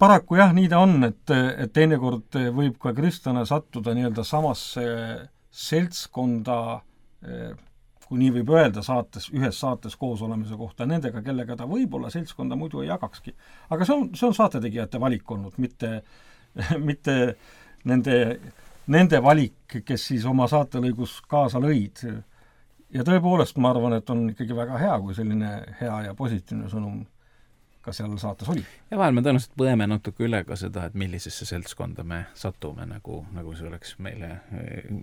paraku jah, nii ta on, et teinekord võib ka kristlane sattuda nii-öelda samasse seltskonda, kui nii võib öelda ühes saates koos olemise kohta nendega, kellega ta võib-olla seltskonda muidu ei jagakski. Aga see on saatetegijate valik olnud, mitte nende valik, kes siis oma saatelõigus kaasa lõid. Ja tõepoolest ma arvan, et on ikkagi väga hea, kui selline hea ja positiivne sõnum ka seal saates oli. Ja vahel me tõenäoliselt põeme natuke üle ka seda, et millisesse seltskonda me satume, nagu see oleks meile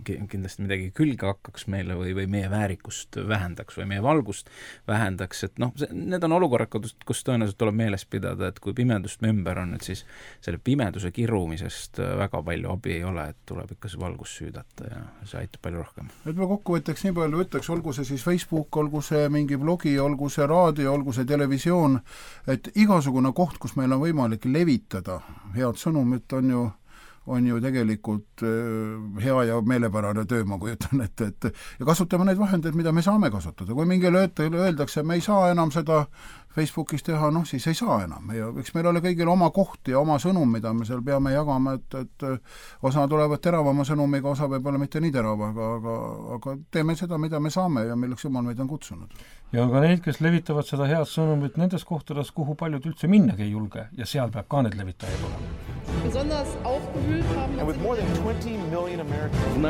kindlasti midagi külge hakkaks meile või meie väärikust vähendaks või meie valgust vähendaks, et need on olukorrad, kus tõenäoliselt tuleb meeles pidada, et kui pimedust me ümber on, et siis selle pimeduse kirumisest väga palju abi ei ole, et tuleb ikka see valgus süüdata ja see aitab palju rohkem. Et ma kokkuvõtteks nii palju ütleks, olgu see siis Facebook, olgu see mingi blogi, olgu see raadio, olgu see televisioon, et igasugune koht, kus meil on võimalik levitada head sõnumit, on ju tegelikult hea ja meelepärane töö, ma kujutan, et ja kasutame neid vahendeid, mida me saame kasutada. Kui mingile öeldakse, me ei saa enam seda Facebookis teha, siis ei saa enam. Ja eks meil ole kõigil oma koht ja oma sõnum, mida me seal peame jagama, et osa tulevad teravama sõnumiga, osa võib-olla mitte nii terava, aga teeme seda, mida me saame ja milleks Jumal meid on kutsunud. Ja ka neid, kes levitavad seda head sõnumit nendes kohtades, kuhu paljud üldse minnagi ei julge ja seal peab ka need levitajaid olema. Besonders aufgewühlt haben. And with more than 20 million Americans.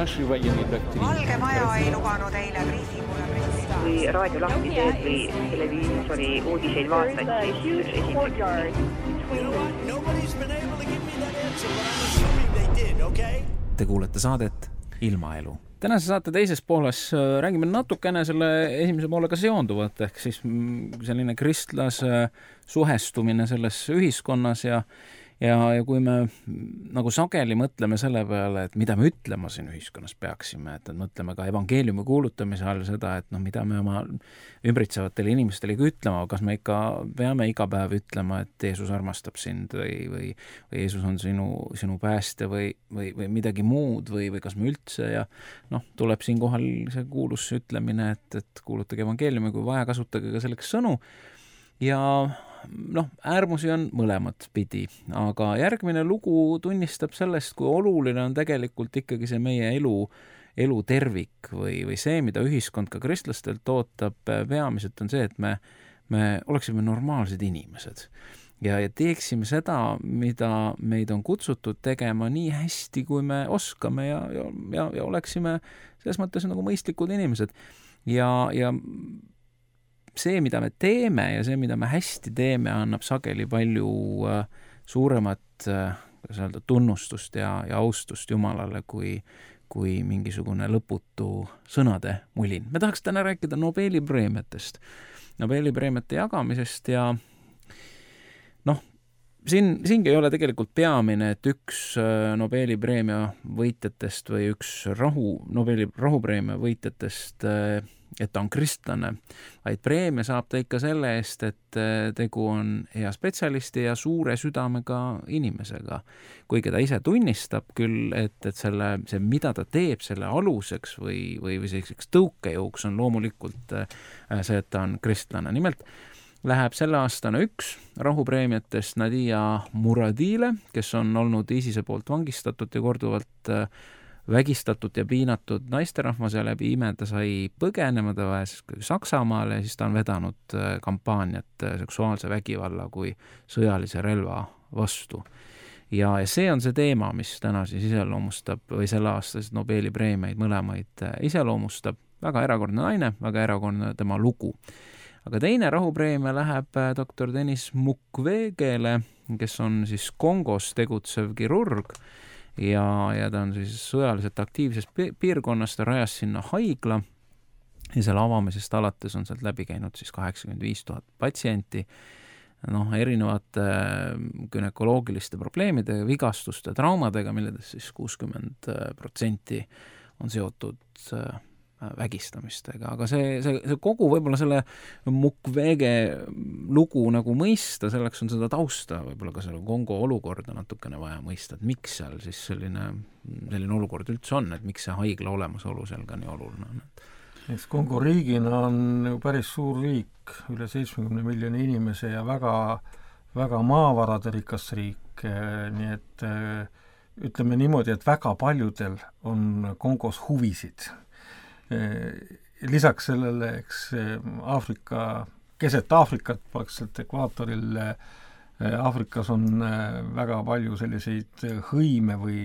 Valge Maja ei lubanud eile briifingule pressida. Kui raadio lahti teed või televiisori uudiseid vaatad, siis Nobody's been able to give me that answer, but I'm assuming they did, okay? Te kuulete saadet Ilmaelu. Tänase saate teises pooles räägime natukene selle esimese poolega seonduvat, ehk siis selline kristlase suhestumine selles ühiskonnas ja kui me nagu sageli mõtleme selle peale, et mida me ütlema siin ühiskonnas peaksime, et mõtleme ka evangeeliumi kuulutamise all seda, et mida me oma ümbritsevatele inimestele ütlema, kas me ikka peame iga päev ütlema, et Jeesus armastab sind või Jeesus on sinu päästja või midagi muud või kas me üldse ja tuleb siin kohal see kuulus ütlemine, et kuulutage evangeeliumi, kui vaja, kasutage ka selleks sõnu ja äärmusi on mõlemat pidi, aga järgmine lugu tunnistab sellest, kui oluline on tegelikult ikkagi see meie elu tervik või see, mida ühiskond ka kristlastelt ootab, peamiselt on see, et me oleksime normaalsed inimesed ja teeksime seda, mida meid on kutsutud tegema nii hästi, kui me oskame ja oleksime selles mõttes nagu mõistlikud inimesed ja see, mida me teeme ja see, mida me hästi teeme, annab sageli palju suuremat tunnustust ja austust Jumalale kui mingisugune lõputu sõnade mulin. Me tahaks täna rääkida Nobeli preemiatest, Nobeli preemiate jagamisest ja siingi ei ole tegelikult peamine, et üks Nobeli preemia võitjatest või üks Nobeli rahupreemia võitjatest et ta on kristlane, vaid preemia saab ta ikka selle eest, et tegu on hea spetsialisti ja suure südamega inimesega. Kuigi ta ise tunnistab küll, et see, mida ta teeb selle aluseks või selliseks tõukejõuks on loomulikult see, et ta on kristlane. Nimelt läheb selle aastane üks rahupreemiatest Nadia Muradile, kes on olnud ISISe poolt vangistatud ja korduvalt vägistatud ja piinatud naisterahvas ja läbi ime ta sai põgenema, ta vajas Saksamaale ja siis ta on vedanud kampaaniat seksuaalse vägivalla kui sõjalise relva vastu. Ja see on see teema, mis täna siis iseloomustab või selle aastasid Nobeli preemiaid mõlemaid iseloomustab. Väga erakordne naine, väga erakordne tema lugu. Aga teine rahupreemia läheb doktor Denis Mukwegele, kes on siis Kongos tegutsev kirurg ja ta on siis sõjaliselt aktiivses piirkonnas, ta rajas sinna haigla ja selle avamisest alates on sealt läbi käinud siis 85,000 patsienti, erinevate günekoloogiliste probleemide, vigastuste, traumadega, milledest siis 60% on seotud vägistamistega, aga see kogu võib-olla selle Mukwege lugu nagu mõista, selleks on seda tausta, võib-olla ka selle Kongo olukorda natukene vaja mõista, et miks seal siis selline olukord üldse on, et miks see haigla olemasolu seal ka nii oluline on. Eks Kongo riigina on ju päris suur riik, üle 70 miljoni inimese ja väga, väga maavarade rikas riik, nii et ütleme niimoodi, et väga paljudel on Kongos huvisid. Lisaks sellele, eks Aafrika, keset Aafrikat, praktiliselt ekvaatoril Aafrikas on väga palju selliseid hõime või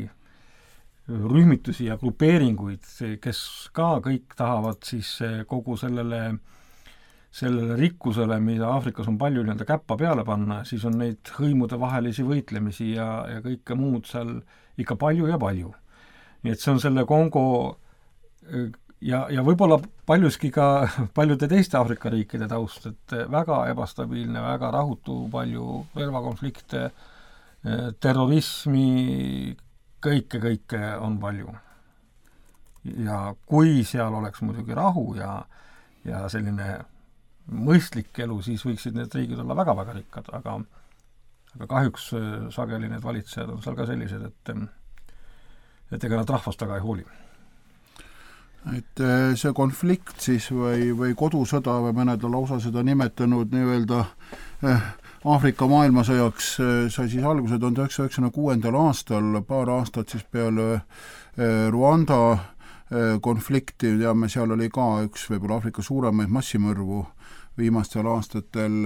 rühmitusi ja grupeeringuid, kes ka kõik tahavad siis kogu sellele sellele rikkusele, mida Aafrikas on palju nii-öelda käppa peale panna, siis on neid hõimude vahelisi võitlemisi ja kõike muud seal ikka palju ja palju. Nii et see on selle Kongo ja võib-olla paljuski ka paljude teiste Aafrika riikide taust, et väga ebastabiilne, väga rahutu, palju relvakonflikte, terrorismi, kõike on palju. Ja kui seal oleks muidugi rahu ja selline mõistlik elu, siis võiksid need riigid olla väga-väga rikkad, aga kahjuks sageli need valitsejad on seal ka sellised, et ega nad rahvast väga ei hooli. Et see konflikt siis või kodusõda või mõned on lausa seda nimetanud nii-öelda Aafrika maailmasõjaks sai siis alguse 1996. aastal, paar aastat siis peale Rwanda konflikti, teame, seal oli ka üks võib-olla Aafrika suuremaid massimõrvu viimastel aastatel.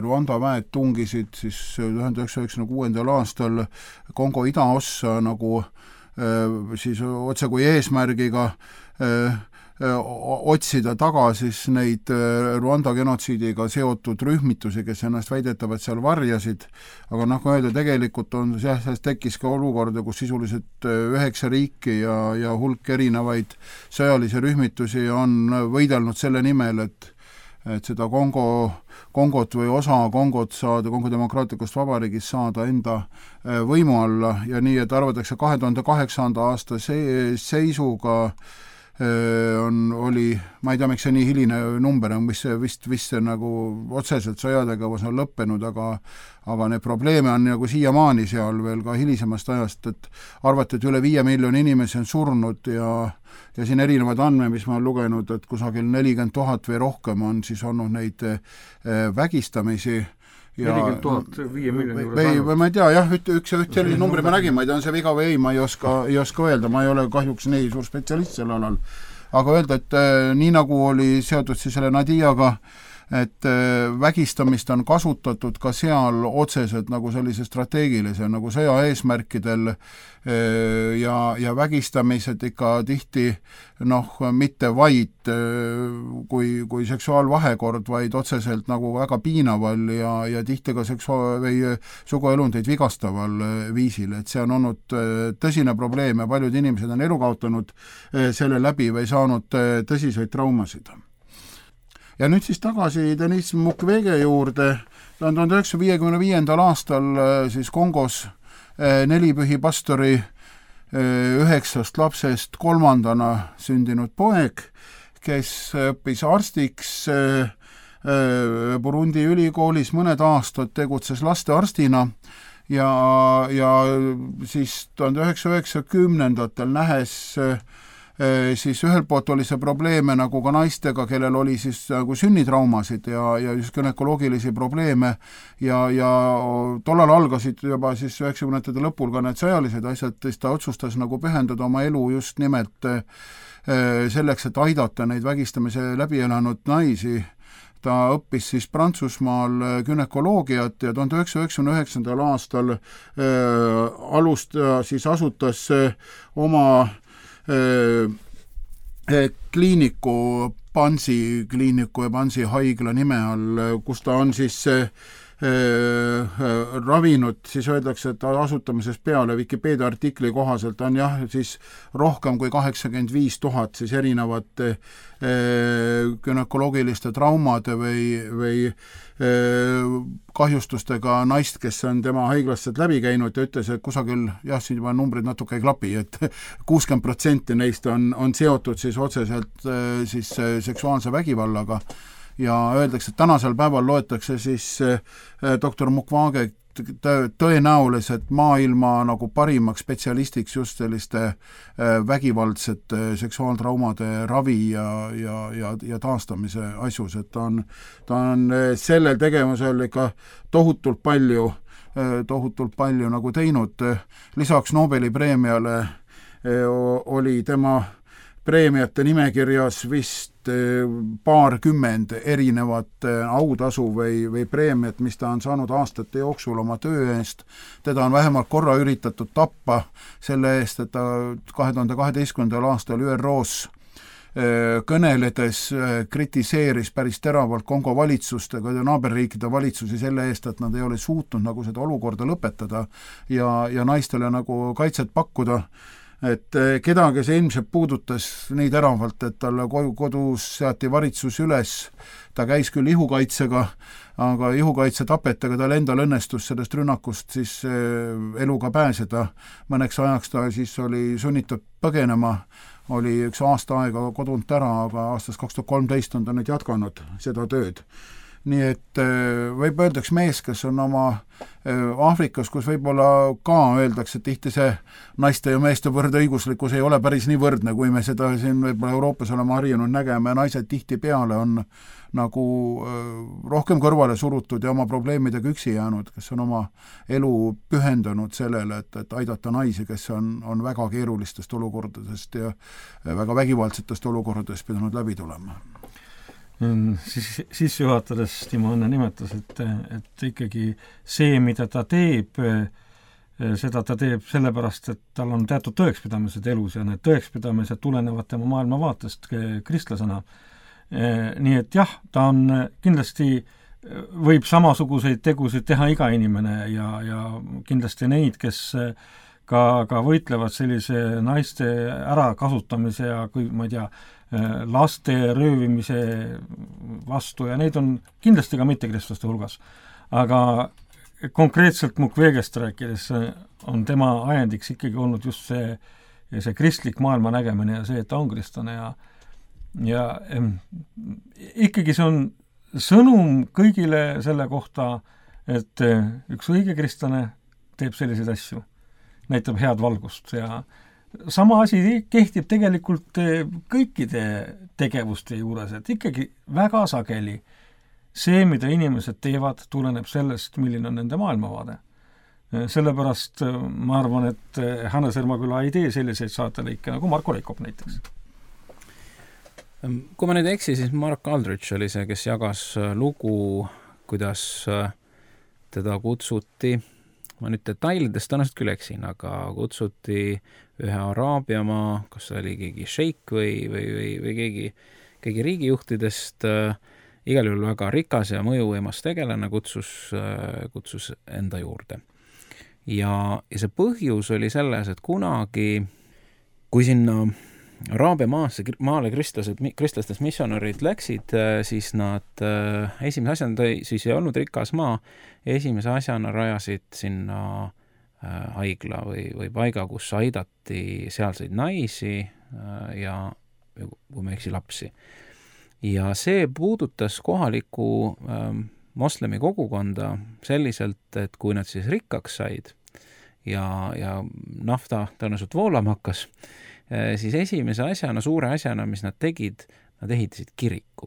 Rwanda väed tungisid siis 1996. aastal Kongo idaossa nagu siis otse kui eesmärgiga otsida taga siis neid Rwanda genotsiidiga seotud rühmitusi, kes ennast väidetavad seal varjasid, aga nagu öelda, tegelikult on sellest tekkis ka olukorda, kus sisuliselt 9 riiki ja hulk erinevaid sõjalisi rühmitusi on võidelnud selle nimel, et seda Kongot või osa Kongot saada, Kongo demokraatlikust vabariigist saada enda võimu alla ja nii, et arvatakse 2008. aasta seisuga oli, ma ei tea, miks see nii hiline number on, mis vist see nagu otseselt sõjategevus on lõppenud, aga need probleeme on nagu siiamaani seal veel ka hilisemast ajast, et arvati, et üle 5 miljoni inimesi on surnud ja siin erinevad andmed, mis ma olen lugenud, et kusagil 40 000 või rohkem on siis olnud neid vägistamisi. 40 000 5 miljoni juures ainult. Või ma ei tea, jah, üks sellise numbri ma nägin, ma ei tea, on see viga või ei, ma ei oska öelda, ma ei ole kahjuks nii suur spetsialist selle alal. Aga öelda, et nii nagu oli seotud siis selle Nadiaga, et vägistamist on kasutatud ka seal otseselt nagu sellise strateegilise nagu sõja eesmärkidel ja vägistamised ikka tihti mitte vaid kui seksuaalvahekord, vaid otseselt nagu väga piinaval ja tihti ka suguelundeid vigastaval viisil, et see on olnud tõsine probleem ja paljud inimesed on elu kaotanud selle läbi või saanud tõsiseid traumasid. Ja nüüd siis tagasi Denis Mukwege juurde. 1955. aastal siis Kongos 4 pühipastori 9 lapsest 3. sündinud poeg, kes õppis arstiks Burundi ülikoolis, mõned aastad tegutses lastearstina ja siis 1990-ndatel nähes siis ühelt poolt oli see probleeme nagu ka naistega, kellel oli siis nagu sünnitraumasid ja just gynekoloogilisi probleeme ja tollal algasid juba siis 90-ndate lõpul ka need sõjalised asjad, siis ta otsustas nagu pühendada oma elu just nimelt selleks, et aidata neid vägistamise läbi elanud naisi. Ta õppis siis Prantsusmaal günekoloogiat ja 1999. aastal asutas oma kliiniku Pansi kliiniku ja Pansi haigla nime all, kus ta on siis ravinud, siis öeldakse, et asutamisest peale Wikipedia artikli kohaselt on jah, siis rohkem kui 85 000 siis erinevate gynekoloogiliste traumade või kahjustustega naist, kes on tema haiglast läbi käinud ja ütles, et kusagil, jah, siin juba numbrid natuke ei klapi, et 60% neist on seotud siis otseselt siis seksuaalse vägivallaga ja öeldakse, et tänasel päeval loetakse siis doktor Mukwege tõenäoliselt maailma nagu parimaks spetsialistiks just selliste vägivaldsete seksuaaltraumade ravi ja taastamise asjus, et ta on sellel tegevusel ikka tohutult palju nagu teinud. Lisaks Nobeli preemiale oli tema preemiate nimekirjas vist paarkümmend erinevat autasu või preemiat, mis ta on saanud aastate jooksul oma töö eest. Teda on vähemalt korra üritatud tappa selle eest, et ta 2012. aastal ÜROs kõneledes kritiseeris päris teravalt Kongo valitsust ja naaberriikide valitsusi selle eest, et nad ei ole suutnud nagu seda olukorda lõpetada ja naistele nagu kaitset pakkuda. Et kedagi see ilmselt puudutas nii teravalt, et talle kodus seati varitsus üles, ta käis küll ihukaitsega, aga ihukaitse tapetega tal endal õnnestus sellest rünnakust siis eluga pääseda. Mõneks ajaks ta siis oli sunnitud põgenema, oli üks aasta aega kodunt ära, aga aastast 2013 on ta nüüd jätkanud seda tööd. Nii et võib öeldaks mees, kes on oma Aafrikas, kus võib-olla ka öeldakse, et tihti see naiste ja meeste võrdõiguslikkus ei ole päris nii võrdne, kui me seda siin võib-olla Euroopas oleme harjunud nägema ja naised tihti peale on nagu rohkem kõrvale surutud ja oma probleemidega üksi jäänud, kes on oma elu pühendanud sellele, et aidata naisi, kes on väga keerulistest olukordadest ja väga vägivaldsetest olukordadest pidanud läbi tulema. Siis juhatades Timo Õnne nimetas, et ikkagi see, mida ta teeb, seda ta teeb sellepärast, et tal on teatud tõekspidamised elus ja need tõekspidamised tulenevad tema maailmavaatest kristlasena. Nii et jah, ta on kindlasti, võib samasuguseid tegusid teha iga inimene ja kindlasti neid, kes ka võitlevad sellise naiste ärakasutamise ja kui ma ei tea, laste röövimise vastu ja neid on kindlasti ka mittekristlaste hulgas. Aga konkreetselt Mukwegest rääkides on tema ajendiks ikkagi olnud just see kristlik maailma nägemine ja see, et ta on kristlane ja ikkagi see on sõnum kõigile selle kohta, et üks õige kristlane teeb selliseid asju, näitab head valgust ja sama asi kehtib tegelikult kõikide tegevuste juures, et ikkagi väga sageli see, mida inimesed teevad, tuleneb sellest, milline on nende maailmavaade. Sellepärast ma arvan, et Hannes Ermaküla ei tee selliseid saatelõike nagu Marko Reikop näiteks. Kui ma nüüd eksi, siis Mark Aldrich oli see, kes jagas lugu, kuidas teda kutsuti, ma nüüd detailidest tõenäoliselt küll eksin, aga kutsuti ühe Araabiamaa, kas oli keegi šeik või keegi riigijuhtidest, igal juhul väga rikas ja mõjuvõimas tegelane kutsus enda juurde. Ja see põhjus oli selles, et kunagi, kui sinna Araabia maale kristlastest missionärid läksid, siis nad esimese asjana, siis ei olnud rikas maa, esimese asjana rajasid sinna haigla või paiga, kus aidati sealseid naisi ja kui me eksi lapsi. Ja see puudutas kohalikku moslemi kogukonda selliselt, et kui nad siis rikkaks said ja nafta tõenäoliselt voolama hakkas, siis esimese asjana, suure asjana, mis nad tegid, nad ehitasid kiriku.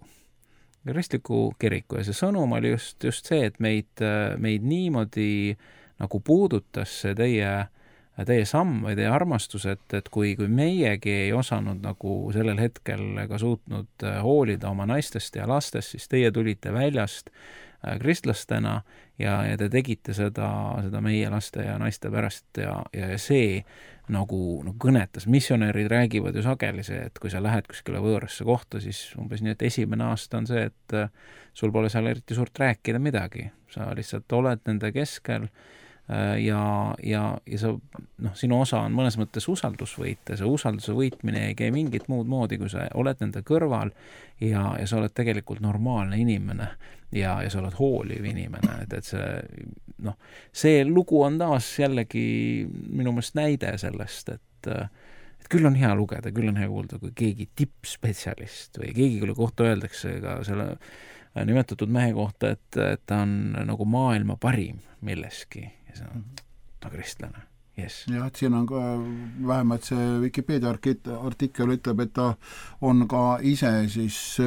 Kristliku kiriku ja see sõnum oli just see, et meid niimoodi nagu puudutas see teie samm või teie armastus, et kui meiegi ei osanud nagu sellel hetkel ega suutnud hoolida oma naistest ja lastest, siis teie tulite väljast kristlastena ja te tegite seda meie laste ja naiste pärast ja see nagu kõnetas. Missionärid räägivad ju sageli see, et kui sa lähed kuskile võõrasse kohta, siis umbes nii, et esimene aasta on see, et sul pole seal eriti suurt rääkida midagi. Sa lihtsalt oled nende keskel ja sa, sinu osa on mõnes mõttes usaldusvõit ja see usalduse võitmine ei käi mingit muud moodi, kui sa oled nende kõrval ja sa oled tegelikult normaalne inimene ja sa oled hooliv inimene, et see lugu on taas jällegi minu meelest näide sellest, et küll on hea lugeda, küll on hea kuulda, kui keegi tippspetsialist või keegi, kelle kohta öeldakse ka selle nimetatud mehe kohta, et ta on nagu maailma parim milleski ja see on kristlane. Yes. Jah, et siin on ka vähemalt see Wikipedia artikkel ütleb, et ta on ka ise siis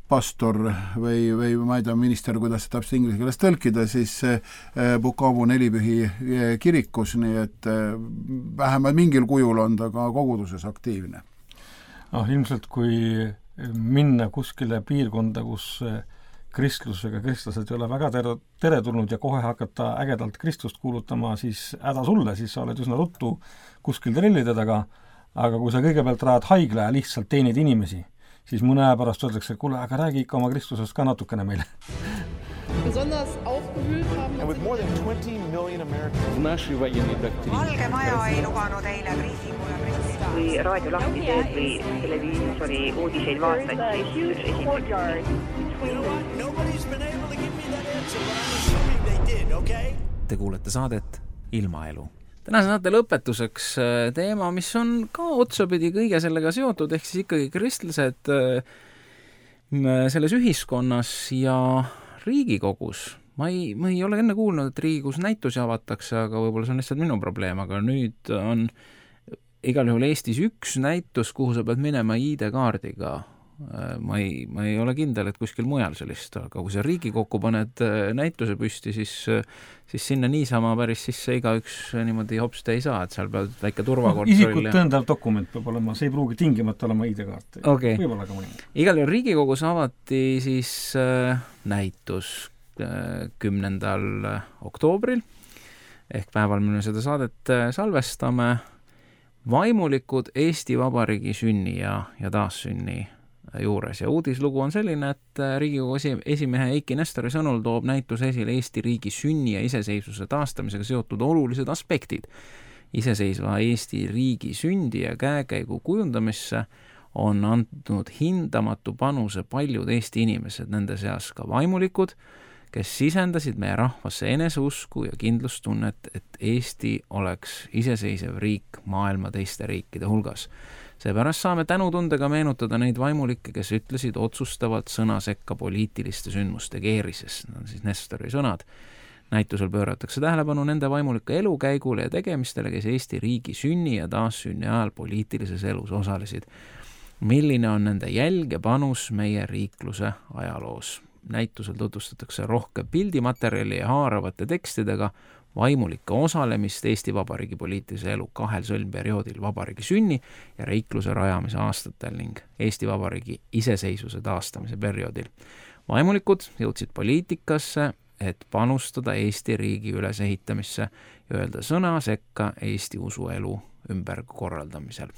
pastor või ma ei tea, minister, kuidas see täpselt inglise keeles tõlkida, siis Bukavu Nelipühi kirikus, nii et vähemalt mingil kujul on ta ka koguduses aktiivne. Ilmselt kui minna kuskile piirkonda, kus kristlusega kristlased ei ole väga teretulnud ja kohe hakata ägedalt kristlust kuulutama, siis häda sulle, siis sa oled üsna ruttu kuskil trellide taga, aga kui sa kõigepealt rajad haigla ja lihtsalt teenid inimesi, siis mõne aja pärast öeldakse, et kuule, aga räägi ikka oma Kristusest ka natukene meile. Besonders aufgewühlt haben. And with more than 20 million Americans. Valge Maja ei lubanud eile kriisikule president. Kui raadio lahti teed või televiisori uudiseid vaatad, siis Nobody's been able to give me that answer, but I'm assuming they did, okay? Te kuulete saadet Ilmaelu. Tänase saate lõpetuseks teema, mis on ka otsapidi kõige sellega seotud, ehk siis ikkagi kristlased selles ühiskonnas ja Riigikogus. Ma ei ole enne kuulnud, et Riigikogus näitusi avatakse, aga võib-olla see on lihtsalt minu probleem, aga nüüd on igal juhul Eestis üks näitus, kuhu sa pead minema ID-kaardiga. Ma ei ole kindel, et kuskil mujal sellist, aga kui sa Riigikokku paned näituse püsti, siis sinna niisama päris sisse igaüks niimoodi hopste ei saa, et seal pead väike turvakontroll. Isikut tõendav dokument peab olema, see ei pruugi tingimata olema ID-kaart. Okay. Võib-olla ka mõni. Igal juhul Riigikogus avati siis näitus 10. oktoobril ehk päeval, mille seda saadet salvestame, vaimulikud Eesti Vabariigi sünni ja taassünni juures. Ja uudislugu on selline, et Riigikogu esimehe Eiki Nestori sõnul toob näitus esile Eesti riigi sünni ja iseseisvuse taastamisega seotud olulised aspektid. Iseseisva Eesti riigi sündi ja käekäigu kujundamisse on andnud hindamatu panuse paljud Eesti inimesed, nende seas ka vaimulikud, kes sisendasid meie rahvasse eneseusku ja kindlustunnet, et Eesti oleks iseseisev riik maailma teiste riikide hulgas. Seepärast saame tänutundega meenutada neid vaimulikke, kes ütlesid otsustavalt sõna sekka poliitiliste sündmuste keerises. Need on siis Nestori sõnad. Näitusel pööratakse tähelepanu nende vaimulike elukäigule ja tegemistele, kes Eesti riigi sünni ja taassünni ajal poliitilises elus osalesid. Milline on nende jälg ja panus meie riikluse ajaloos? Näitusel tutvustatakse rohkem pildimaterjali ja haaravate tekstidega vaimulike osalemist Eesti Vabariigi poliitilise elu kahel sõlmperioodil vabariigi sünni ja riikluse rajamise aastatel ning Eesti Vabariigi iseseisvuse taastamise perioodil. Vaimulikud jõudsid poliitikasse, et panustada Eesti riigi ülesehitamisse ja öelda sõna sekka Eesti usuelu ümberkorraldamisel.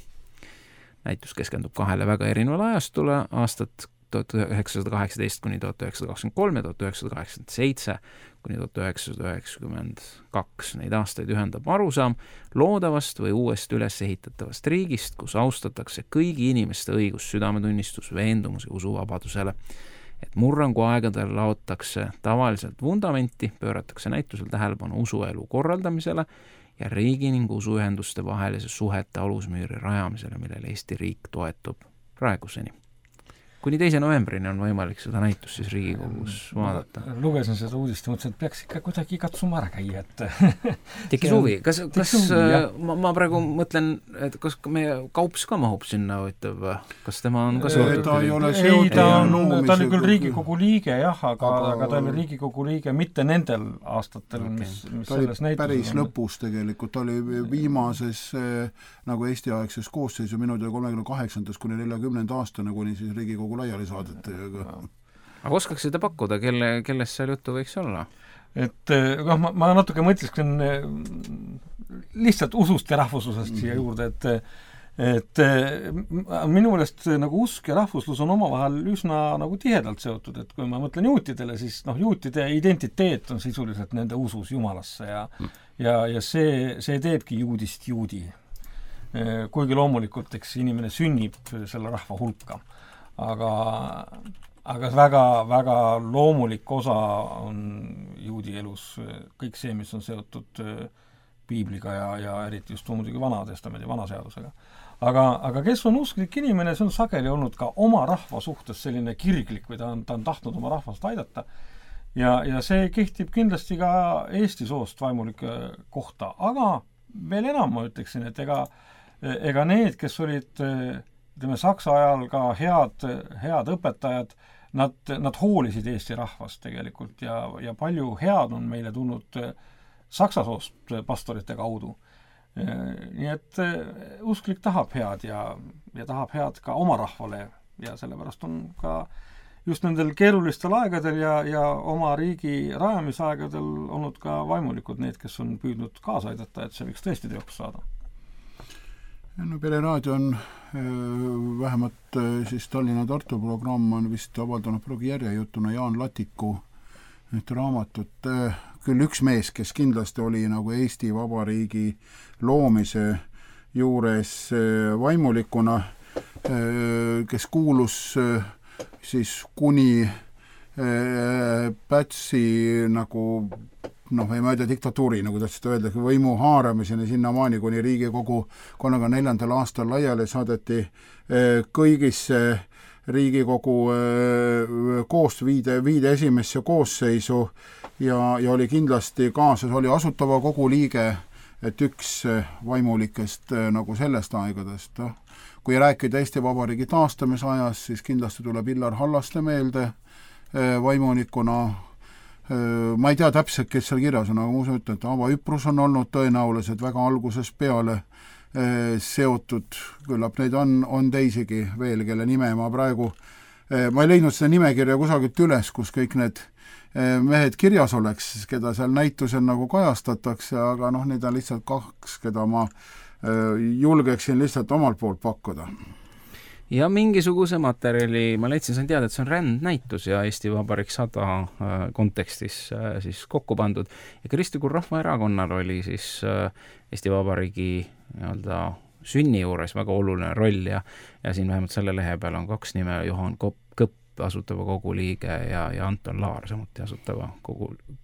Näitus keskendub kahele väga erinevale ajastule, aastat 1918 kuni 1923 ja 1987 kuni 1992. Neid aastaid ühendab arusaam loodavast või uuest üles ehitatavast riigist, kus austatakse kõigi inimeste õigus, südametunnistus, veendumus ja usuvabadusele. Et murrangu aegadel laotakse tavaliselt vundamenti, pööratakse näitusel tähelepanu usuelu korraldamisele ja riigi ning usuühenduste vahelise suhete alusmüüri rajamisele, millele Eesti riik toetub praeguseni. Kuni 2. novembrini on võimalik seda näitust siis Riigikogus vaadata. Lugesin seda uudist ja mõtlesin, et peaks ikka kuidagi katsuma ära käia, et Tekkis huvi. Kas ma praegu mõtlen, et kas meie Kaups ka mahub sinna võitav? Kas tema on ka seotud? Ta ei ole seotud. Ta oli küll Riigikogu liige, jah, aga ta oli Riigikogu liige mitte nendel aastatel, mis selles näitus päris lõpus tegelikult. Ta oli viimases nagu Eesti-aegses koosseisu minu 38. kuni 40. aastane, kuni siis Riigikogu laiali saadete. Aga oskaks seda pakkuda, kellest seal juttu võiks olla? Et ma natuke mõtlesin lihtsalt usust ja rahvuslusest siia juurde, et minu meelest nagu usk ja rahvuslus on omavahel üsna nagu tihedalt seotud, et kui ma mõtlen juutidele, siis juutide identiteet on sisuliselt nende usus Jumalasse ja see teebki juudist juudi. Kuigi loomulikult, eks inimene sünnib selle rahva hulka. Aga väga loomulik osa on juudi elus kõik see, mis on seotud piibliga ja eriti just muidugi Vana-testamendi, Vanaseadusega. Aga kes on usklik inimene, see on sageli olnud ka oma rahva suhtes selline kirglik või ta on tahtnud oma rahvast aidata. Ja see kehtib kindlasti ka Eesti soost vaimulike kohta. Aga veel enam ma ütleksin, et ega need, kes olid Saksa ajal ka head õpetajad, nad hoolisid Eesti rahvast tegelikult ja palju head on meile tulnud Saksa soost pastorite kaudu. Nii et usklik tahab head ja tahab head ka oma rahvale ja sellepärast on ka just nendel keerulistel aegadel ja oma riigi rajamisaegadel olnud ka vaimulikud need, kes on püüdnud kaasa aidata, et see võiks tõesti teoks saada. No Pereraadio on vähemalt siis Tallinna-Tartu programm on vist avaldanud praegu järjejutuna Jaan Latiku raamatut. Küll üks mees, kes kindlasti oli nagu Eesti Vabariigi loomise juures vaimulikuna, kes kuulus siis kuni Pätsi nagu ei ma diktatuuri, nagu tahtsid öelda, võimu haaramiseni sinnamaani, kuni Riigikogu 34. aastal laiali saadeti kõigisse Riigikogu viide esimesse koosseisu ja oli kindlasti kaasas, oli asutava kogu liige, et üks vaimulikest nagu sellest aegadest. Kui rääkida Eesti Vabariigi taastamise ajas, siis kindlasti tuleb Illar Hallaste meelde vaimulikuna. Ma ei tea täpselt, kes seal kirjas on, aga ma usun, et Ava Üprus on olnud tõenäoliselt väga algusest peale seotud, küllap neid on teisigi veel, kelle nime ma praegu, ma ei leidnud seda nimekirja kusagilt üles, kus kõik need mehed kirjas oleks, keda seal näitusel nagu kajastatakse, aga neid on lihtsalt kaks, keda ma julgeksin lihtsalt omalt poolt pakkuda. Ja mingisuguse materjali, ma leidsin, sain teada, et see on rändnäitus ja Eesti Vabariik 100 kontekstis siis kokku pandud. Ja Kristlikul Rahvaerakonnal oli siis Eesti Vabariigi sünni juures väga oluline roll ja siin vähemalt selle lehe peal on kaks nime, Juhan Kõpp, asutava kogu liige ja Anton Laar, samuti asutava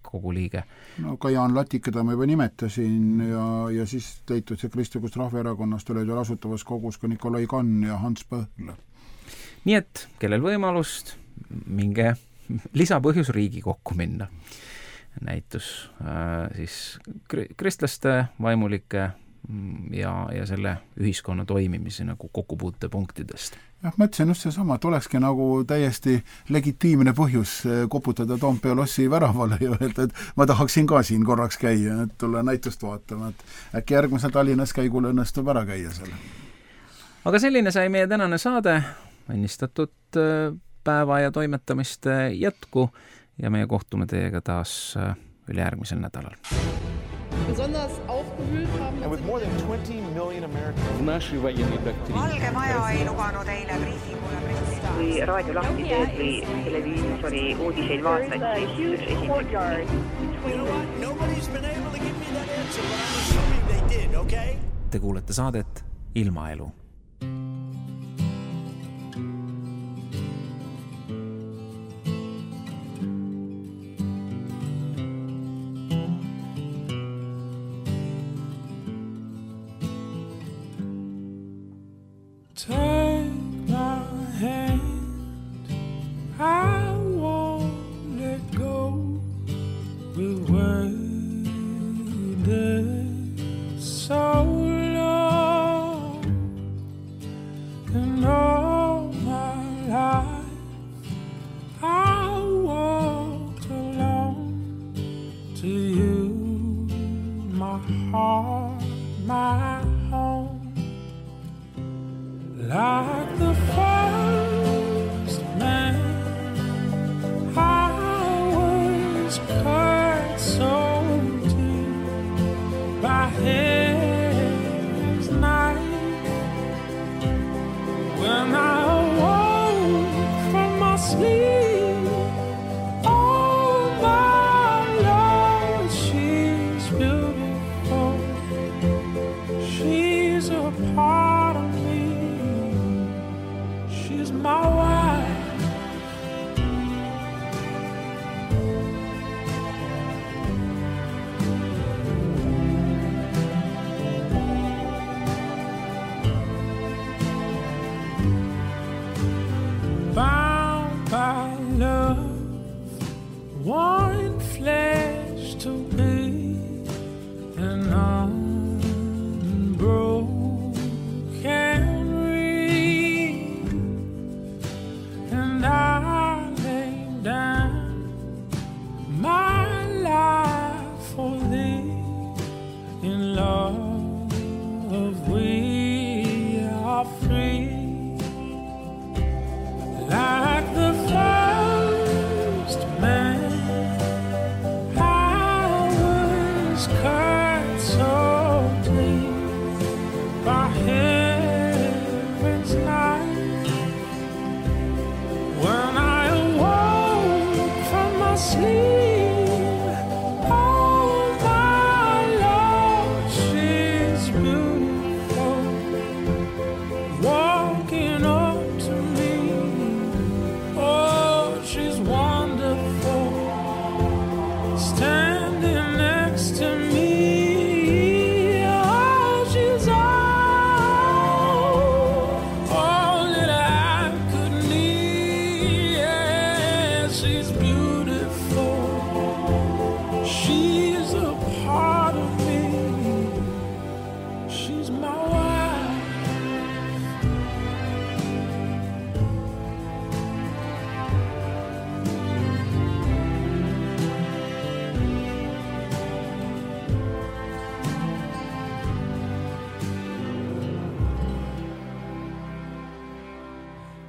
kogu liige. No ka Jaan Latik, keda ma juba nimetasin ja siis leitud see Kristlikust Rahvaerakonnast olid veel asutavas kogus ka Nikolai Kann ja Hans Põhl. Nii et kellel võimalust, minge lisapõhjus Riigikokku minna. Näitus siis kristlaste vaimulike ja selle ühiskonna toimimise nagu kokkupuutepunktidest. Jah, mõtlesin just seesama, et olekski nagu täiesti legitiimne põhjus koputada Toompea lossi väravale ja öelda, et ma tahaksin ka siin korraks käia, et tulla näitust vaatama, et äkki järgmisel Tallinnas käigul õnnestub ära käia selle. Aga selline sai meie tänane saade, õnnistatud päeva ja toimetamiste jätku ja meie kohtume teiega taas ülejärgmisel nädalal. Besonders aufgewühlt haben. And with more than 20 million Americans. Valge Maja ei lubanud eile briifingule pressida. Kui raadio lahti teed või televiisori uudiseid vaatad, siis Nobody's been able to give me that answer, but I'm assuming they did, okay? Te kuulete saadet Ilmaelu. I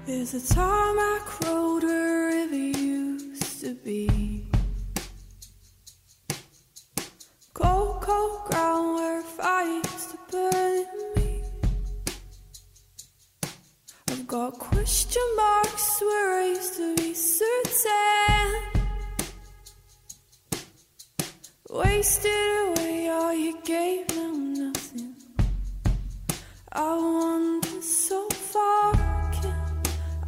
There's a tarmac road where a river used to be. Cold, cold ground where fire used to burn in me. I've got question marks where I used to be certain. Wasted away all you gave, now nothing. I wander so far,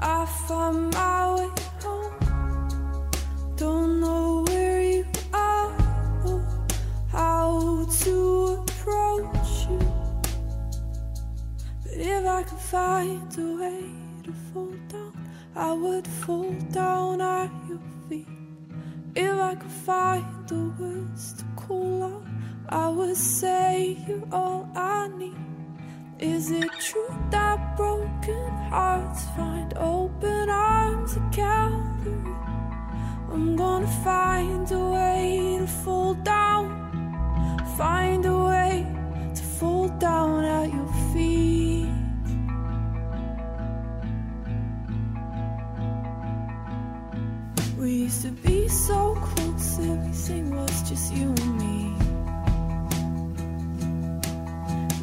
I find my way home. Don't know where you are or how to approach you. But if I could find a way to fall down, I would fall down at your feet. If I could find the words to call out, I would say you're all I need. Is it true that broken hearts find open arms at Calvary? I'm gonna find a way to fall down, find a way to fall down at your feet. We used to be so close, everything was just you and me.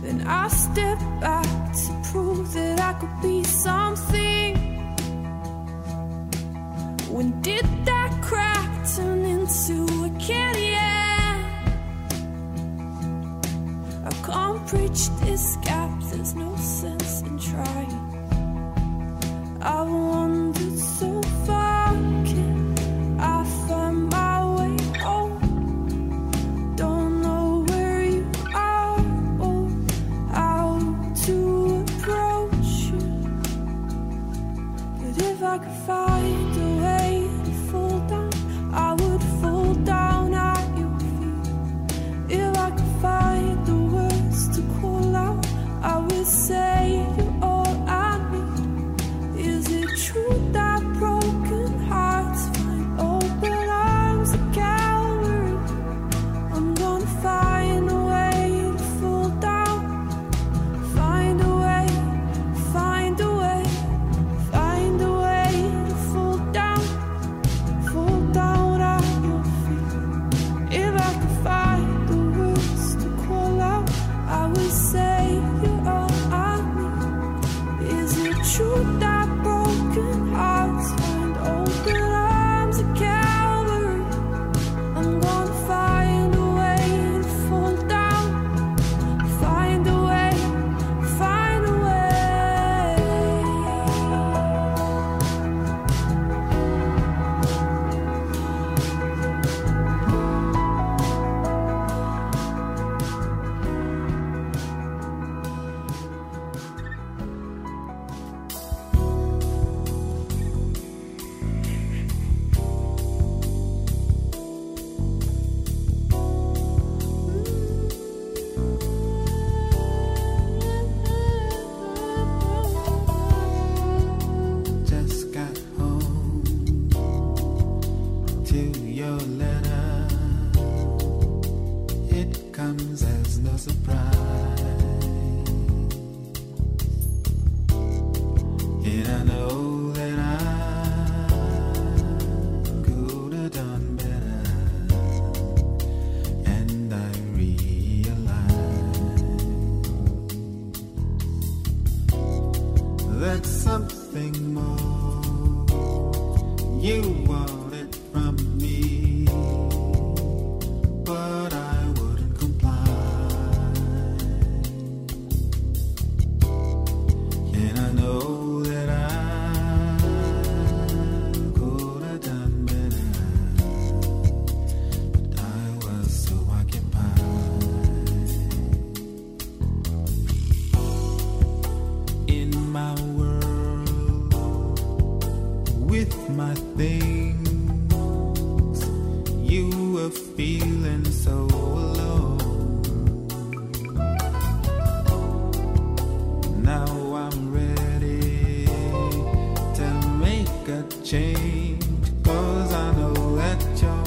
Then I stepped back to prove that I could be something. When did that crack turn into a canyon? I can't bridge this gap, there's no sense in trying. I've wandered so far, can I find my way home? Don't know where you are or how to approach you. But if I could find a way to fall down, I would fall down at your feet. If I could find the words to call out, I would say you're all I need. Is it true that broken hearts find open arms at Calvary? I'm gonna find a way to fall down, find a way, find a way, find a way to fall down at your feet. If I could find the words to call out, I would say you're all I need. Is it true that broken hearts find open arms at Calvary? I'm gonna find a way to fall down, find a way, find a way. Just got home to your letter. It comes as no surprise, and I know that I could have done better, and I realize that's something more. You want it from me. things you were feeling so alone. Now I'm ready to make a change, 'cause I know that you're